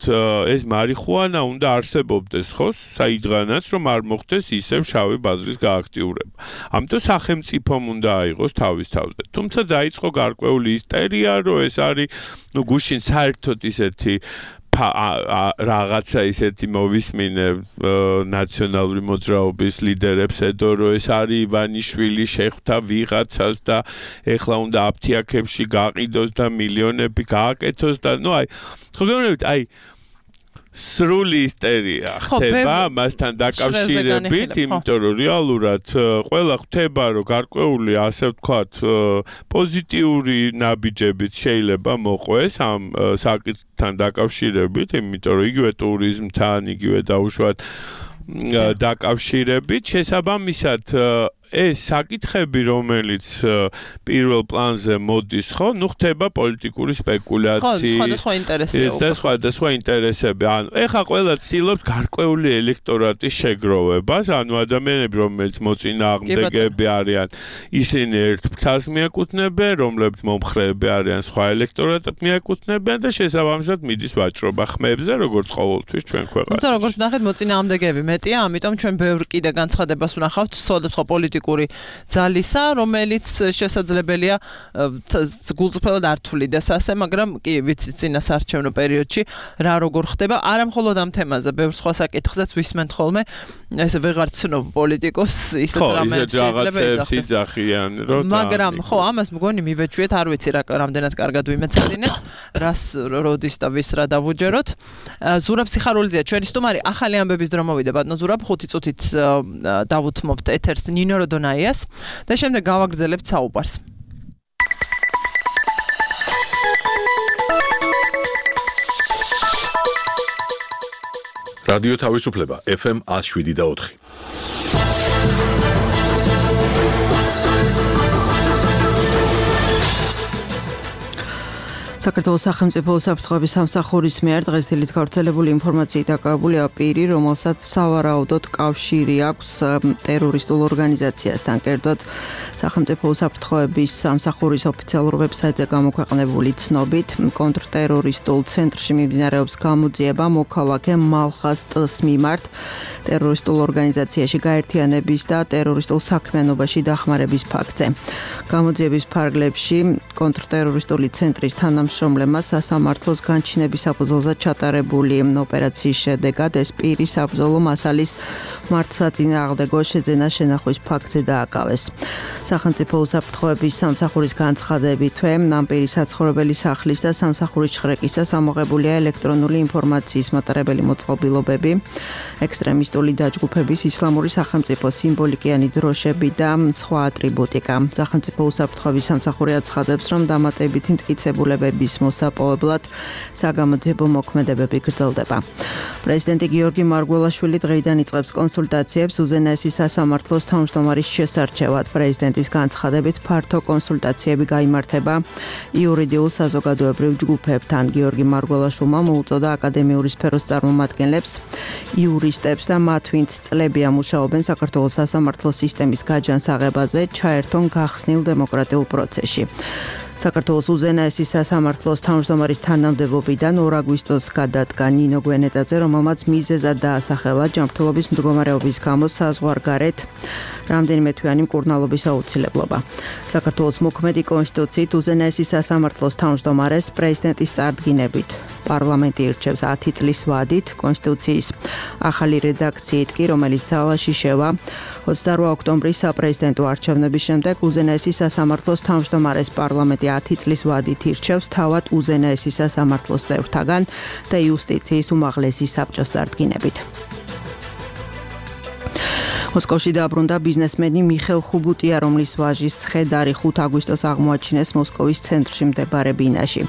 ეს მარიხუანა უნდა არსებობდეს ხო საიდღანაც, რომ არ მოხდეს ისევ შავი ბაზრის გააქტიურება. ამიტომ სახელმწიფომ უნდა აიღოს თავის თავზე. თუმცა დაიწყო გარკვეული ისტერია, რომ ეს არის ნუ გუშინ საერთოდ ისეთი რაღაცა ისეთი მოვისმინე ნაციონალური მოძრაობის ლიდერებს ედო, რომ ეს არის ივანიშვილი შეხვდა ვიღაცას და ეხლა უნდა აფთიაქებში გაყიდოს და მილიონები გააკეთოს და ნუ აი ხო გეუბნებით აი სრული ისტერია ხდება მასთან დაკავშირებით, იმიტომ რომ რეალურად ყველა ხვდება, რომ გარკვეული ასე ვთქვათ პოზიტიური ნაბიჯებიც შეიძლება მოყვეს ამ საკითხთან დაკავშირებით, იმიტომ რომ იგივე ტურიზმთან, იგივე დაუშვათ დაკავშირებით, შესაბამისად ეს საკითხები, რომელიც პირველ პლანზე მოდის, ხო, ნუ ხდება პოლიტიკური სპეკულაციის. ხო, სხვადასხვა ინტერესები. და სხვადასხვა ინტერესები. ანუ ეხა ყველა ცდილობს გარკვეული ელექტორატის შეგროვებას, ანუ ადამიანები, რომელიც მოწინააღმდეგეები არიან, ისინი ერთ ფრთას მიაკუთვნებენ, რომლებიც მომხრეები არიან, სხვა ელექტორატად მიაკუთვნებენ და შესაბამისად მიდის ვაჭრობა ხმებზე, როგორც ყოველთვის ჩვენ ქვეყანაში. თუმცა როგორც ნახეთ, მოწინააღმდეგეები მეტია, ამიტომ ჩვენ ბევრ კიდე განცხადებას ვნახავთ სხვადასხვა პოლიტიკურ პოლიტიკური ძალისა, რომელიც შესაძლებელია გულწრფელად არ თვლიდეს ასე, მაგრამ კი ვიცით წინასაარჩევნო პერიოდში რა როგორ ხდება, არა მხოლოდ ამ თემაზე, ბევრ სხვა საკითხზეც ვისმენთ ხოლმე, ესე ვეღარ ცნობ პოლიტიკოსს, ისეთ რამეებში შეიძლება ეძახდეს. მაგრამ ხო, ამას მგონი მივეჩვიეთ, არ ვიცი რა რამდენად კარგად ვიმეცადინეთ, რას როდის და ვის რა დავუჯეროთ. ზურაბ სიხარულიძეა ჩვენი სტუმარი, ახალი ამბების დრო მოვიდა ბატონო ზურაბ, ხუთი წუთით დავუთმობთ ეთერს ნინო როდონაიას და შემდეგ გავაგრძელებთ საუბარს. რადიო თავისუფლება ეფ ემ one oh seven და four. საქართველოს სახელმწიფო უსაფრთხოების სამსახურის მიერ დღეს დილით გავრცელებული ინფორმაციით დაკავებულია პირი, რომელსაც სავარაუდოდ კავშირი აქვს ტერორისტულ ორგანიზაციასთან. კერძოდ, სახელმწიფო უსაფრთხოების სამსახურის ოფიციალურ ვებსაიტზე გამოქვეყნებული ცნობით, კონტრტერორისტულ ცენტრში მიმდინარეობს გამოძიება მოქალაქე მალხას ტ-ს მიმართ ტერორისტულ ორგანიზაციაში გაერთიანების და ტერორისტულ საქმიანობაში დახმარების ფაქტზე. გამოძიების ფარგლებში კონტრტერორისტული ცენტრის თანამშრომლებმა სასამართლოს განჩინების საფუძველზე ჩატარებული ოპერაციის შედეგად ეს პირი საბრძოლო მასალის მართლსაწინააღმდეგო შეძენას შენახვის ფაქტზე დააკავეს. სახელმწიფო უსაფრთხოების სამსახურის განცხადებითვე ამ პირის საცხოვრებელი სახლის და სამსახურის ჩხრეკისას ამოღებულია ელექტრონული ინფორმაციის მატარებელი მოწყობილობები, ექსტრემისტული დაჯგუფების, ისლამური სახელმწიფო სიმბოლიკიანი დროშები და სხვა ატრიბუტიკა. სახელმწიფო უსაფრთხოების სამსახური აცხადებს, რომ დამატებითი მტკიცებულებების მოსაპოვებლად საგამოძიებო მოქმედებები გრძელდება. პრეზიდენტი გიორგი მარგველაშვილი დღეიდან იწყებს კონსულტაციებს უზენაესი სასამართლოს თავმჯდომარის შესარჩევად. პრეზიდენტის განცხადებით ფართო კონსულტაციები გაიმართება იურიდიულ საზოგადოებრივ ჯგუფებთან. გიორგი მარგველაშვილმა მოუწოდა აკადემიური სფეროს წარმომადგენლებს, იურისტებს და მათ, ვინც წლებია მუშაობენ საქართველოს სასამართლო სისტემის გაჯანსაღებაზე, ჩაერთონ გახსნილ დემოკრატიულ პროცესში. საქართველოს უზენაესი სასამართლოს თავმჯდომარის თანამდებობიდან ორ აგვისტოს გადადგა ნინო გვენეტაძე, რომელმაც მიზეზად დაასახელა ჯანმრთელობის მდგომარეობის გამო საზღვარგარეთ რამდენიმე თვიანი მკურნალობის აუცილებლობა. საქართველოს მოქმედი კონსტიტუციით უზენაესი სასამართლოს თავმჯდომარეს პრეზიდენტის წარდგინებით პარლამენტი ირჩევს ათი წლის ვადით, კონსტიტუციის ახალი რედაქციით კი, რომელიც ძალაში შევა ოცდაორი ოქტომბრის საპრეზიდენტო არჩევნების შემდეგ უზენაესი სასამართლოს თავმჯდომარეს პარლამენტი ათი წლის ვადით ირჩევს თავად უზენაესი სასამართლოს წევრთაგან და იუსტიციის უმაღლესი საბჭოს წარდგინებით. მოსკოვში დააბრუნდა ბიზნესმენი მიხელ ხუბუტია, რომლის ვაჟის ცხედარი ხუთ აგვისტოს აღმოაჩინეს მოსკოვის ცენტრში მდებარე ბინაში.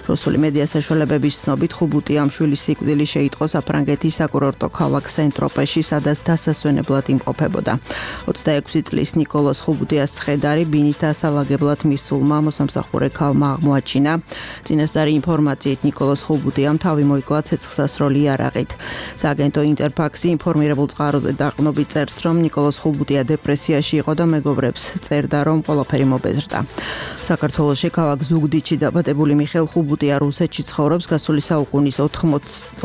რუსული მედია საშუალებების ცნობით ხუბუტიამ შვილის სიკვდილი შეიტყო საფრანგეთის საკურორტო ქალაქ სენ-ტროპეში, სადაც დასასვენებლად იმყოფებოდა. ოცდაექვსი წლის ნიკოლოზ ხუბუტიას ცხედარი ბინის დასალაგებლად მისულმა მოსამსახურე ქალმა აღმოაჩინა. წინასწარი ინფორმაციით ნიკოლოზ ხუბუტიამ თავი მოიკლა ცეცხლსასროლი იარაღით. სააგენტო ინტერფაქსი ინფორმირებულ წყაროზე დაყრდნობით წერს, რომ ნიკოლოზ ხუბუტია დეპრესიაში იყო და მეგობრებს წერდა, რომ ყველაფერი მობეზრდა. საქართველოში ქალაქ ზუგდიდში დაბადებული მიხელ ხუბუტია რუსეთში ცხოვრობს გასული საუკუნის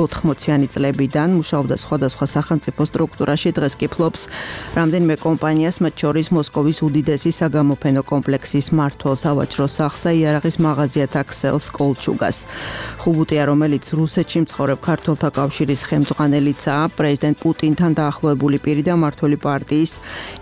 ოთხმოციანი წლებიდან, მუშაობდა სხვადასხვა სახელმწიფო სტრუქტურაში, დღეს კი ფლობს რამდენიმე კომპანიას, მათ შორის მოსკოვის უდიდესი საგამოფენო კომპლექსის მმართველ სავაჭრო სახლს და იარაღის მაღაზიათა ქსელს კოლჩუგას. ხუბუტია, რომელიც რუსეთში მცხოვრებ ქართველთა კავშირის ხელმძღვანელიცაა, პრეზიდენტ პუტინთან დაახლოებული პირი და მმართველი პარტიის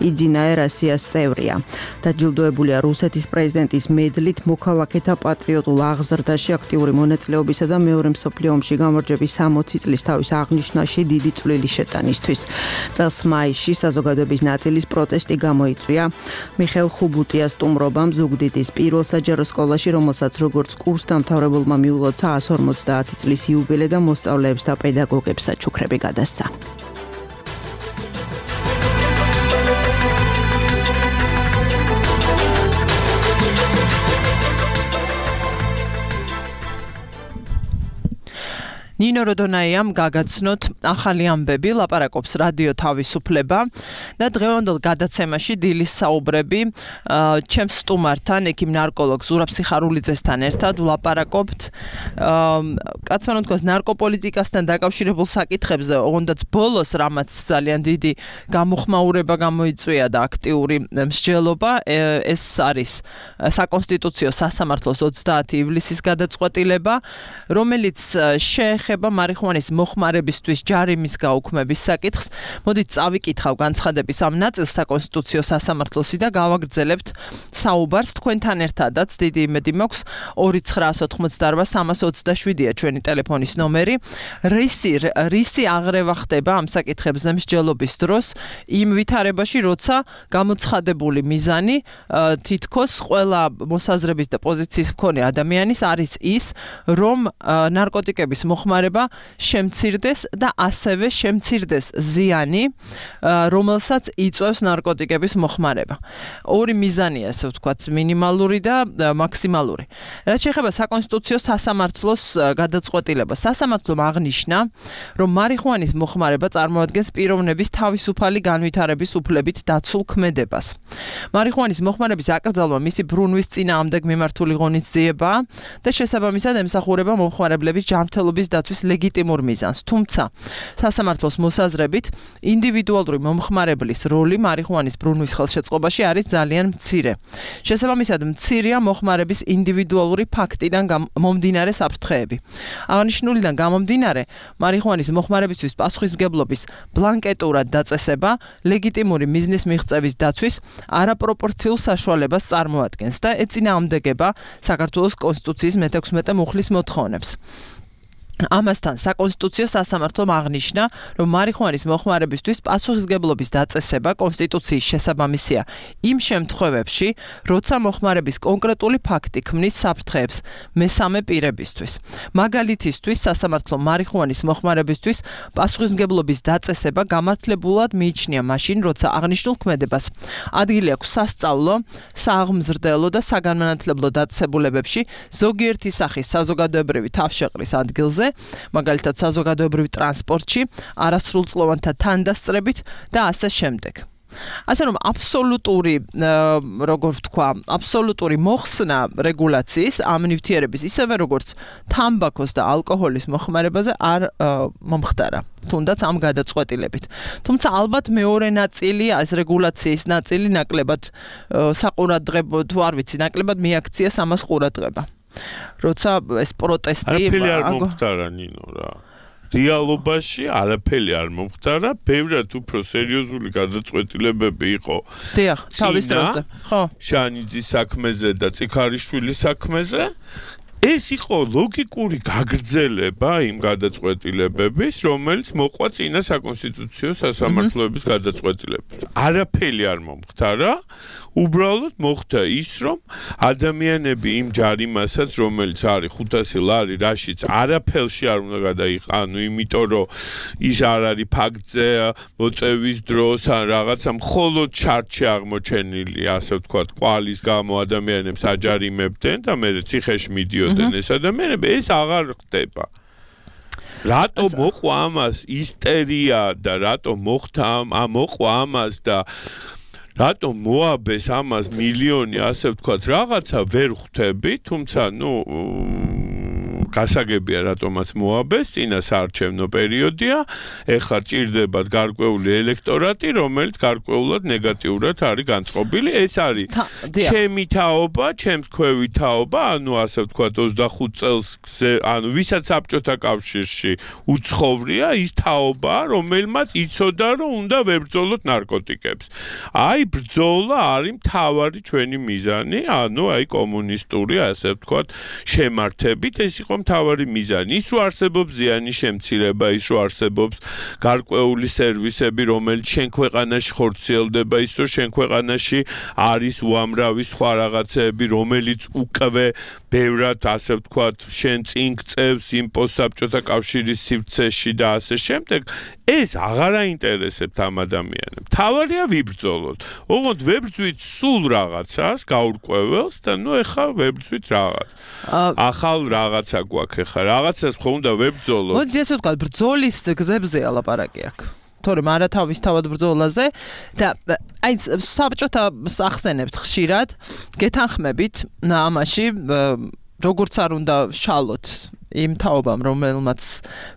იძინაე რასიას წევრია. დაჯილდოებულია რუსეთის პრეზიდენტის მედლით, მოქალაქეთა პატრიოტულ აღზრდაში აქტიური მონაწილეობისა და მეორე მსოფლიო ომში გამარჯვების სამოცი წლის თავის აღნიშვნაში დიდი წვლილი შეტანისთვის. წელს მაისში საზოგადოების ნაწილის პროტესტი გამოიწვია მიხელ ხუბუტიას სტუმრობამ ზუგდიდის პირველ საჯარო სკოლაში, რომელსაც როგორც კურსდამთავრებულმა მიულოცა εκατს ორმოცდაათი წლის იუბილე და მოსწავლეებს და პედაგოგებს საჩუქრები გადასცა. ნინო როდონაიამ გაგაცნოთ ახალი ამბები, ლაპარაკობს რადიო თავისუფლება და დღევანდელ გადაცემაში დილის საუბრები ჩემს სტუმართან, ექიმ ნარკოლოგ ზურაბ სიხარულიძესთან ერთად ვლაპარაკობთ კაცმან თქვას ნარკოპოლიტიკასთან დაკავშირებულ საკითხებზე, ოღონდაც ბოლოს რამაც ძალიან დიდი გამოხმაურება გამოიწვია და აქტიური მსჯელობა, ეს არის საკონსტიტუციო სასამართლოს ოცდაათი ივლისის გადაწყვეტილება, რომელიც შეეხება მარიხუანის მოხმარებისთვის ჯარიმის გაუქმების საკითხს. მოდით წავიკითხავ განცხადების ამ ნაწილს საკონსტიტუციო სასამართლოსი და გავაგრძელებთ საუბარს თქვენთან ერთადაც. დიდი იმედი მაქვს ორი ცხრაას ოთხმოცდაარბა სამას ოცდაშვიდია ჩვენი ტელეფონის ნომერი. რისი რისი აღრევა ხდება ამ საკითხებზე მსჯელობის დროს იმ ვითარებაში, როცა გამოცხადებული მიზანი თითქოს ყველა მოსაზრების და პოზიციის მქონე ადამიანის არის ის, რომ ნარკოტიკების მოხმარება შემცირდეს და ასევე შემცირდეს ზიანი, რომელსაც იწვევს ნარკოტიკების მოხმარება. ორი მიზანია, ასე ვთქვათ, მინიმალური და მაქსიმალური. რაც შეეხება საკონსტიტუციო სასამართლოს გადაწყვეტილებას, სასამართლომ აღნიშნა, რომ მარიხუანის მოხმარება წარმოადგენს პიროვნების თავისუფალი განვითარების უფლებით დაცულ ქმედებას. მარიხუანის მოხმარების აკრძალვა მისი ბრუნვის წინააღმდეგ მიმართული ღონისძიებაა და შესაბამისად ემსახურება მომხმარებლების ჯანმრთელობის დაცვის ლეგიტიმურ მიზანს. თუმცა, სასამართლოს მოსაზრებით, ინდივიდუალური მომხმარებლის როლი მარიხუანის ბრუნვის ხელშეწყობაში არის ძალიან მცირე. შესაბამისად, მცირეა მოხმარების ინდივიდუალური ფაქტიდან მომდინარე საფრთხეები. აღნიშნულიდან გამომდინარე, მარიხუანის მოხმარებისთვის პასუხისმგებლობის ბლანკეტურად დაწესება ლეგიტიმური მიზნის მიღწევის დაცვის არაპროპორციულ საშუალებას წარმოადგენს და ეწინააღმდეგება საქართველოს კონსტიტუციის მეთექვსმეტე მუხლის მოთხოვნებს. ამასთან საკონსტიტუციო სასამართლომ აღნიშნა, რომ მარიხუანის მოხმარებისთვის პასუხისმგებლობის დაწესება კონსტიტუციის შესაბამისია იმ შემთხვევებში, როცა მოხმარების კონკრეტული ფაქტი ქმნის საფრთხეებს მესამე პირებისთვის. მაგალითისთვის, სასამართლომ მარიხუანის მოხმარებისთვის პასუხისმგებლობის დაწესება გამართლებულად მიიჩნია მაშინ, როცა აღნიშნულ ქმედებას ადგილი აქვს სასწავლო, სააღმზრდელო და საგანმანათლებლო დაწესებულებებში, ზოგიერთი სახის საზოგადოებრივი თავშეყრის ადგილზე, მაგალითად საზოგადოებრივ ტრანსპორტში, არასრულწლოვანთა თანდასწრებით და ასე შემდეგ. ასე რომ აბსოლუტური, როგორ ვთქვა, აბსოლუტური მოხსნა რეგულაციის ამ ნივთიერების, ისევე როგორც თამბაქოს და ალკოჰოლის მოხმარებაზე არ მომხდარა. თუნდაც ამ გადაწყვეტილებით. თუმცა ალბათ მეორე ნაწილი, ეს რეგულაციის ნაწილი ნაკლებად საყურადღებო, თუ არ ვიცი, ნაკლებად მიაქციეს ამას ყურადღება. როცა ეს პროტესტი არაფერი არ მომხდარა ნინო რა. დიალოგში არაფერი არ მომხდარა, ბევრად უფრო სერიოზული გადაწყვეტილებები იყო. დიახ, თავის დროზე. ხო. შანიძის საქმეზე და წიქარიშვილის საქმეზე. ეს იყო ლოგიკური გაგრძელება იმ გადაწყვეტილებების, რომელიც მოყვა წინა საკონსტიტუციო სასამართლოების გადაწყვეტილებას. არაფერი არ მომხდარა, უბრალოდ მოხდა ის, რომ ადამიანები იმ ჯარიმასაც, რომელიც არის ხუთასი ლარი, რაშიც არაფერში არ უნდა გადაიყანო, იმიტომ რომ ის არ არის ფაქტზე მოწევის დროს ან რაღაცა მხოლოდ ჩარტში აღმოჩენილი, ასე ვთქვათ, კვალის გამო ადამიანებს აჯარიმებდნენ და მე ციხეში მიდიოდნენ ეს ადამიანები, ეს აღარ ხდება. რატო მოყვა ამას ისტერია და რატო მოხდა ამ მოყვა ამას და რატო მოაბეს ამას მილიონი, ასე ვთქვათ, რაღაცა ვერ ხვდები, თუმცა, ნუ გასაგებია რატომაც მოაბეს, წინა საარჩევნო პერიოდია, ეხლა ჭირდებათ გარკვეული ელექტორატი, რომელიც გარკვეულად ნეგატიურად არის განწყობილი. ეს არის ჩემი თაობა, ჩემს ქვევი თაობა, ანუ ასე ვთქვათ, ოცდახუთ წელს, ანუ ვისაც საბჭოთა კავშირში უცხოვრია, ის თაობა, რომელმაც იცოდა, რომ უნდა ვებრძოლოთ ნარკოტიკებს. აი ბრძოლა არის მთავარი ჩვენი მიზანი, ანუ აი კომუნისტური, ასე ვთქვათ, შემართებით, ეს იყო მთავარი მიზანი. ის რომ არსებობს ზიანი შემცირება, ის რომ არსებობს გარკვეული სერვისები, რომელიც შენ ქვეყანაში ხორციელდება, ის რომ შენ ქვეყანაში არის უამრავი სხვა რაღაცეები, რომელიც უკვე ბევრად, ასე ვთქვათ, შენ წინ გწევს იმ პოსტსაბჭოთა კავშირის სივრცეში და ასე შემდეგ. ეს აღარ აინტერესებთ ამ ადამიანებს. თავარია ვიბრძოლოთ. ოღონდ ვებრძვით სულ რაღაცას, გაურკვეველს და ნუ ეხა ვებრძვით რაღაც. ახალ რაღაცა გვაქვს ეხა. რაღაცას ხო უნდა ვებრძოლოთ. მოდი ესე ვთქვა, ბრძოლის გზებზე ალაპარაკი აქვს. თორემ არა თავისთავად ბრძოლაზე და აი საბჭოთა ახსენებთ ხშირად, გეთანხმებით ამაში, როგორც არ უნდა შალოთ იმ თაობამ, რომელმაც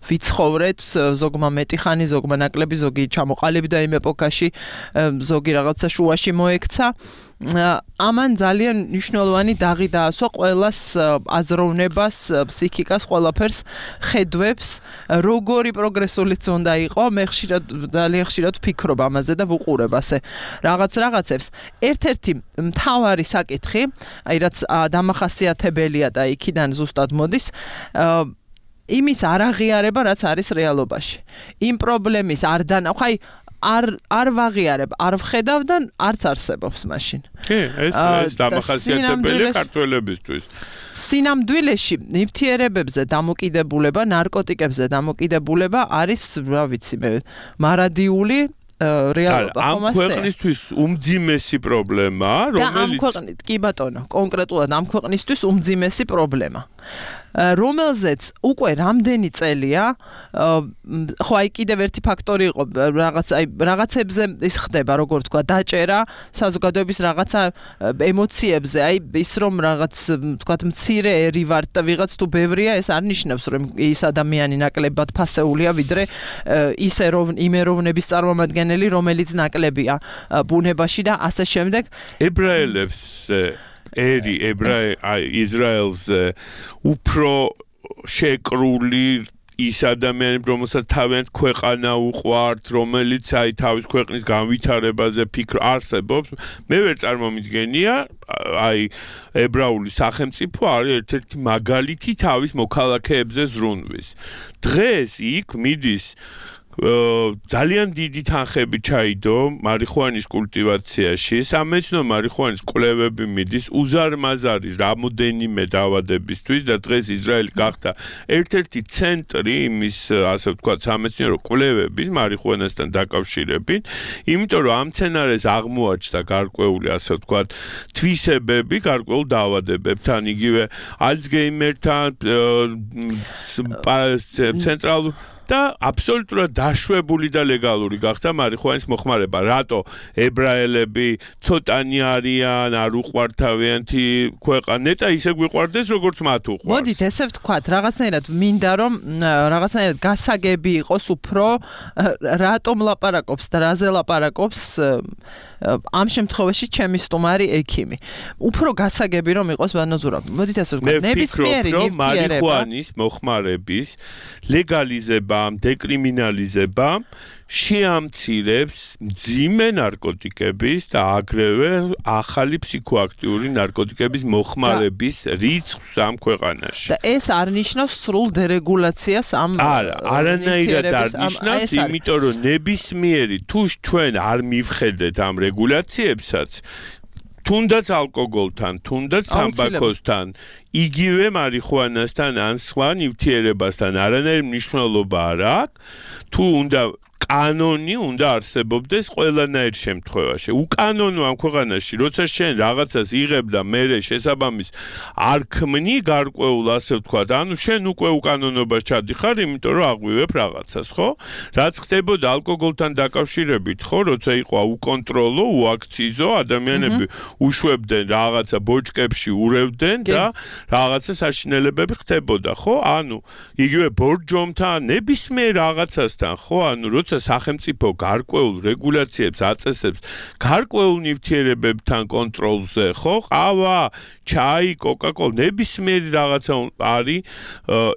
ვიცხოვრეთ, ზოგმა მეტი ხანი, ზოგმა ნაკლები, ზოგი ჩამოყალიბდა იმ ეპოქაში, ზოგი რაღაცა შუაში მოექცა. ამან ძალიან მნიშვნელოვანი დაღი დაასვა ყველას აზროვნებას, ფსიქიკას, ყველაფერს ხედვებს, როგორი პროგრესულიც უნდა იყო, მე ხშირად ძალიან ხშირად ვფიქრობ ამაზე და ვუყურებ ასე რაღაც რაღაცებს. ერთ-ერთი მთავარი საკითხი, აი რაც დამახასიათებელია და იქიდან ზუსტად მოდის, იმის არაღიარება, რაც არის რეალობაში. იმ პრობლემის არ დანა, ხაი არ არ ვაღიარებ, არ ვხედავ და არც არსებობს მაშინ. კი, ეს ეს დამახასიათებელია ქართველებისთვის. სინამდვილეში ნივთიერებებზე დამოკიდებულება, ნარკოტიკებზე დამოკიდებულება არის, რა ვიცი მე, მარადიული რეალობა, ხომ ასე? ამ ქვეყნისთვის უმძიმესი პრობლემა, რომელიც ამ ქვეყნით, კი ბატონო, კონკრეტულად ამ ქვეყნისთვის უმძიმესი პრობლემა. რომელზეც უკვე რამდენი წელია, ხო აი კიდევ ერთი ფაქტორი იყო, რაღაც აი რაღაცებზე ის ხდება, როგორ თქვა, დაჭერა, საზოგადოების რაღაცა ემოციებზე, აი ის რომ რაღაც თქვა მცირე ერი ვარ და ვიღაც თუ ბევრია, ეს არ ნიშნავს რომ ის ადამიანი ნაკლებად ფასეულია, ვიდრე ის იმეროვნების წარმომადგენელი, რომელიც ნაკლებია ბუნებაში და ასე შემდეგ. ებრაელებს ერი ებრაელ ისრაელს უფრო შეკრული ის ადამიანები, რომელსაც თავიანთ ქვეყანა უყვართ, რომელიც აი თავის ქვეყნის განვითარებაზე ფიქრ არსებობს, მე ვერ წარმომიდგენია, აი ებრაული სახელმწიფო არის ერთ-ერთი მაგალითი თავის მოქალაქეებზე ზრუნვის. დღეს იქ მიდის ძალიან დიდი თანხები ჩაიდო მარიხუანის კულტივაციაში, სამეცნიერო მარიხუანის კვლევები მიდის უზარმაზარი რამოდენიმე დაავადებისთვის და დღეს ისრაელი გახდა ერთ-ერთი ცენტრი იმის, ასე ვთქვათ, სამეცნიერო კვლევების მარიხუანასთან დაკავშირებით, იმიტომ რომ ამ მცენარეს აღმოაჩნდა გარკვეული, ასე ვთქვათ, თვისებები გარკვეულ დაავადებებთან, იგივე ალცგეიმერთან, ცენტრალურ და აბსოლუტურად დაშვებული და ლეგალური გახდა მარიხუანის მოხმარება. რატო ებრაელები ცოტანი არიან, არ უყვართ თავიანთი ქვეყანა, ნეტა ისე გვიყვარდეს, როგორც მათ უყვარს. მოდით ესე ვთქვათ, რაღაცნაირად მინდა რომ რაღაცნაირად გასაგები იყოს უფრო რატომ ლაპარაკობს და რაზე ლაპარაკობს ამ შემთხვევაში ჩემი სტუმარი ექიმი. უფრო გასაგები რომ იყოს ბანაზურა. მოდით ესე ვთქვათ, ნებისმიერი ნივთიერება მარიხუანის მოხმარების ლეგალიზება დეკრიმინალიზება შეამცირებს მძიმე ნარკოტიკების და აგრევე ახალი ფსიქოაქტიური ნარკოტიკების მოხმარების რიცხვს ამ ქვეყანაში. და ეს არ ნიშნავს სრულ დერეგულაციას ამ არა, არანაირად არ ნიშნავს, იმიტომ რომ ნებისმიერი თუ ჩვენ არ მივხედეთ ამ რეგულაციებსაც, თუნდაც ალკოგოლთან, თუნდაც თამბაქოსთან, იგივე მარიხუანასთან ან სხვა ნივთიერებასთან არანაირი მნიშვნელობა არ აქვს, თუ უნდა კანონი უნდა არსებობდეს ყველანაირ შემთხვევაში. უკანონო ამ ქვეყანაში, როცა შენ რაღაცას იღებ და მერე შესაბამის არ ქმნი გარკვეულ, ასე ვთქვათ, ანუ შენ უკვე უკანონობას ჩადიხარ, იმიტომ რომ აღვივებ რაღაცას, ხო? რაც ხდებოდა ალკოგოლთან დაკავშირებით, ხო, როცა იყო უკონტროლო, უაქციზო, ადამიანები უშვებდნენ რაღაცა ბოჭკებში ურევდნენ და რაღაცა საშინელებები ხდებოდა, ხო? ანუ იგივე ბორჯომთან, ნებისმიერ რაღაცასთან, ხო? ანუ როცა სახელმწიფო გარკვეულ რეგულაციებს აწესებს გარკვეულ ნივთიერებებთან კონტროლზე, ხო? ყავა, ჩაი, კოკა-კოლა, ნებისმიერი რაღაცა არის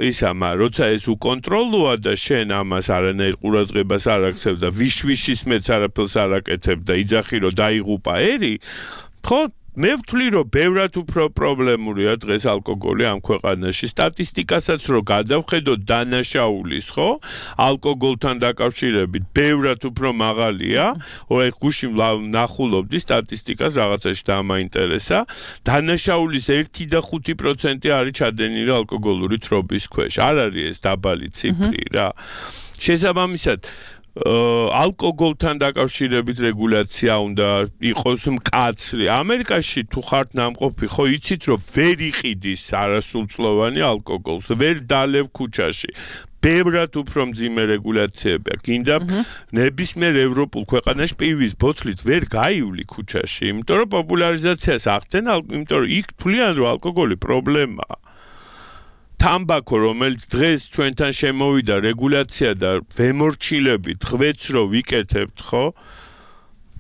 ისა, მაგრამ როცა ეს უკონტროლოა და შენ ამას არანაირ ყურადღებას არ აქცევ და ვიშვიშის მეც არაფერს არ აკეთებ და იძახი რომ დაიღუპა ერი, ხო? მე ვთვლი რომ ბევრად უფრო პრობლემურია დღეს ალკოგოლი ამ ქვეყანაში. სტატისტიკასაც რო გადავხედოთ დანაშაულის, ხო? ალკოგოლთან დაკავშირებით ბევრად უფრო მაღალია. ოღონდ გუში ნახულობდი სტატისტიკას რაღაცაში და მაინტერესა. დანაშაულის ერთი და ხუთი პროცენტი არის ჩადენილი ალკოგოლური თრობის ქვეშ. არ არის ეს დაბალი ციფრი რა. შესაბამისად ალკოგოლთან დაკავშირებით რეგულაცია უნდა იყოს მკაცრი. ამერიკაში თუ ხართ ნამყოფი, ხო იცით რომ ვერ იყიდის არასრულწლოვანი ალკოგოლს, ვერ დალევ ქუჩაში. ბევრად უფრო მძიმე რეგულაციებია. გინდა ნებისმიერ ევროპულ ქვეყანაში პივის ბოთლით ვერ გაივლი ქუჩაში, იმიტომ რომ პოპულარიზაციას ახდენ, იმიტომ რომ იქ თვლიან რომ ალკოგოლი პრობლემაა. თამბაქო, რომელიც დღეს ჩვენთან შემოვიდა რეგულაცია და ვემორჩილებით, ღვეც რო ვიკეთებთ, ხო?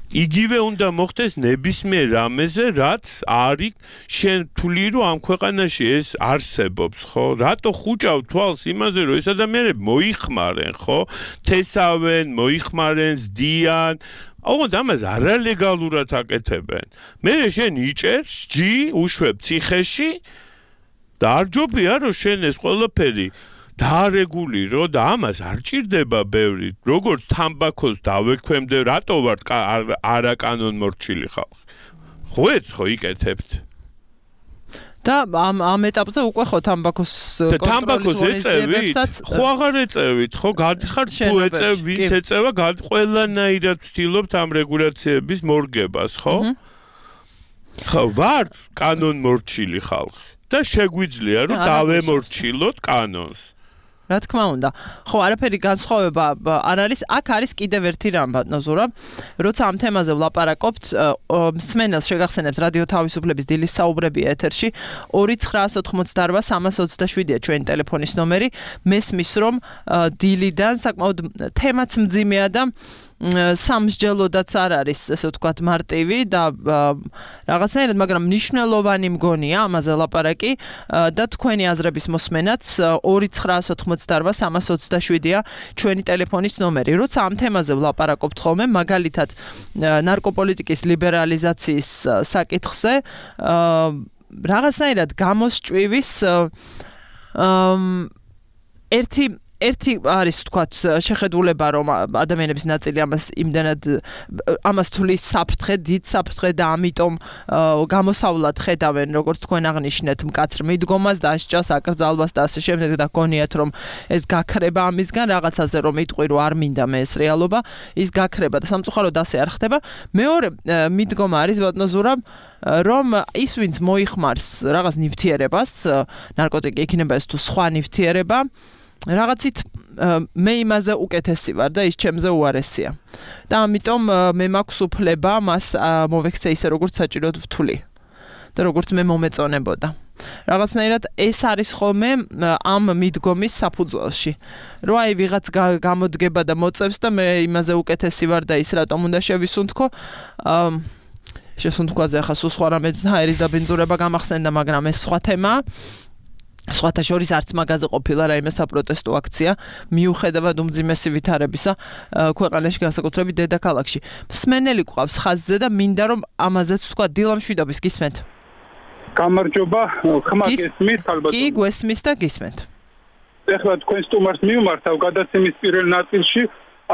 იგივე უნდა მოხდეს ნებისმიერ რამეზე, რაც არის შენ თვლი რომ ამ ქვეყანაში ეს არსებობს, ხო? რატო ხუჭავ თვალს იმაზე, რომ ეს ადამიანები მოიხმარენ, ხო? თესავენ, მოიხმარენ, ზდიან. ოღონდ ამას არალეგალურად აკეთებენ. მე შენ იჭერ, სჯი, უშვებ ციხეში და არ ჯობია რომ შენ ეს ყველაფერი დაარეგულირო და ამას არ ჭირდება ბევრი. როგორც თამბაქოს დავექვემდე, რატო ვარ არაკანონმორჩილი ხალხი? ხვეც ხო იკეთებთ? და ამ ამ ეტაპზე უკვე ხო თამბაქოს კონტროლის ღონისძიებებსაც ხო აღარ ეწევით, ხო გადიხართ თუ ეწევ, ვინც ეწევა, ყველანაირად ვცდილობთ ამ რეგულაციების მორგებას, ხო? ხო, ვარ კანონმორჩილი ხალხი. და შეგვიძლია რომ დავემორჩილოთ კანონს. რა თქმა უნდა. ხო, არაფერი განსხვავება არ არის. აქ არის კიდევ ერთი რამ ბატონო ზურა. როცა ამ თემაზე ვლაპარაკობთ, მსმენელს შეგახსენებთ რადიო თავისუფლების დილის საუბრები ეთერში ორი ცხრაას ოთხმოცდაარბა სამას ოცდაშვიდია ჩვენი ტელეფონის ნომერი. მესმის რომ დილიდან საკმაოდ თემაც მძიმეა და სამსჯელოდაც არ არის, ესე ვთქვათ, მარტივი და რაღაცნაირად, მაგრამ მნიშვნელოვანი მგონია ამაზე ლაპარაკი და თქვენი აზრების მოსმენაც ორი ცხრაას ოთხმოცდაარბა სამას ოცდაშვიდია ჩვენი ტელეფონის ნომერი. როცა ამ თემაზე ვლაპარაკობთ ხოლმე, მაგალითად ნარკოპოლიტიკის ლიბერალიზაციის საკითხზე, რაღაცნაირად გამოსჭვივის ერთი ერთი არის ვთქვათ შეხედულება რომ ადამიანების ნაწილი ამას იმდანად ამას თulis საფრთხე, დიდ საფრთხე და ამიტომ გამოსავლად ხედავენ როგორც თქვენ აღნიშნეთ მკაცრ მიდგომას, დასჯას, აკრძალვას და ასე შემდეგ და გონიათ რომ ეს გაქრება ამისგან რაღაცაზე რომ იტყვი რომ არ მინდა მე ეს რეალობა, ის გაქრება და სამწუხაროდ ასე არ ხდება. მეორე მიდგომა არის ბატონო ზურა რომ ის ვინც მოიხმარს რაღაც ნივთიერებას, ნარკოტიკი იქნება ეს თუ სხვა ნივთიერება რაღაცით მე იმაზე უკეთესი ვარ და ის ჩემზე უარესია. და ამიტომ მე მაქვს უფლება მას მოვექცე ისე როგორც საჭიროდ ვთვლი და როგორც მე მომეწონებოდა. რაღაცნაირად ეს არის ხოლმე ამ მიდგომის საფუძველში. რომ აი ვიღაც გამოდგება და მოწევს და მე იმაზე უკეთესი ვარ და ის რატომ უნდა შევისუნთქო. შესუნთქვაზე ახლა სულ სხვა რამე ჰაერის დაბინძურება გამახსენდა, მაგრამ ეს სხვა თემაა. სხვათა შორის არც მაგაზე ყოფილა რაიმე საპროტესტო აქცია მიუხედავად უმძიმესი ვითარებისა ქვეყანაში განსაკუთრებით დედაქალაქში. მსმენელი ყავს ხაზზე და მინდა რომ ამაზეც თქვა დილამშვიდობის გისმენთ. გამარჯობა, ხმა გესმით ალბათ. კი, გვესმის და გისმენთ. ეხლა თქვენ სტუმარს მიმართავ გადაცემის პირველ ნაწილში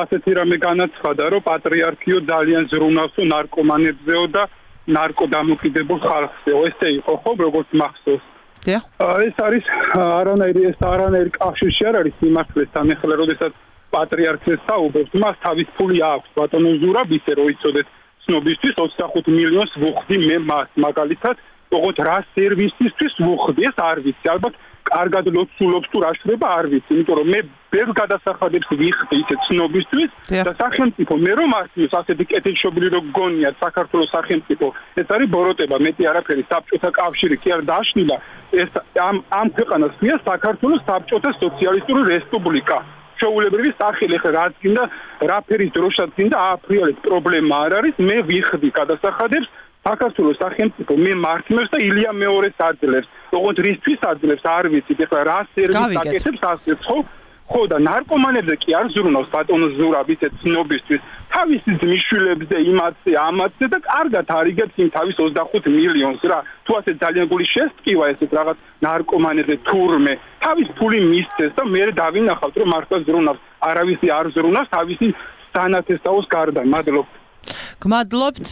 ასეთი რამე განაცხადა, რომ პატრიარქიო ძალიან ზრუნავსო ნარკომანებზეო და ნარკოდამოკიდებულ ხალხზეო. ესე იყო ხო, როგორც მახსოვს. ეს არის არანაირი ეს არანაირი კავშირში არ არის სიმართლესთან. ეხლა როდესაც პატრიარქს საუბრობთ, მას თავის ფული აქვს ბატონო ზურაბ, ისე რომ იცოდეთ ცნობისთვის ოცდახუთ მილიონს ვუხდი მე მას მაგალითად, ოღონდ რა სერვისისთვის ვუხდი ეს არ ვიცი. ალბათ კარგად ლოცულობს თუ რა შრება არ ვიცი, იმიტომ რომ მე ბევრ გადასახადებს ვიხდი ისე ცნობისთვის და სახელმწიფო მე რომ არსმის ასეთი კეთილშობილი რო გონიათ საქართველოს სახელმწიფო, ეს არის ბოროტება, მეტი არაფერი. საბჭოთა კავშირი კი არ დაშლილა, ეს ამ ამ ქვეყანას ხია საქართველოს საბჭოთა სოციალისტური რესპუბლიკა. შეუულებრივი სახელი ხა რაც გინდა, რაფერის დროშაც გინდა ააფრიალეთ, პრობლემა არ არის, მე ვიხდი გადასახადებს საქართველოს სახელმწიფო მე მართლებს და ილია მეორეს აძლევს. ოღონდ რისთვის აძლევს არ ვიცით. ეხლა რა სერვისს აკეთებს ასეც ხო? ხო და ნარკომანებზე კი არ ზრუნავს ბატონო ზურაბ ისე ცნობისთვის. თავისი ძმისშვილებზე, იმათზე, ამათზე და კარგად არიგებს იმ თავის ოცდახუთ მილიონს რა. თუ ასე ძალიან გული შესტკივა ესეთ რაღაც ნარკომანებზე თურმე, თავის ფული მისცეს და მე დავინახავთ რომ მართლა ზრუნავს. არავისი არ ზრუნავს თავისი სანათესაოს გარდა. მადლობთ. გმადლობთ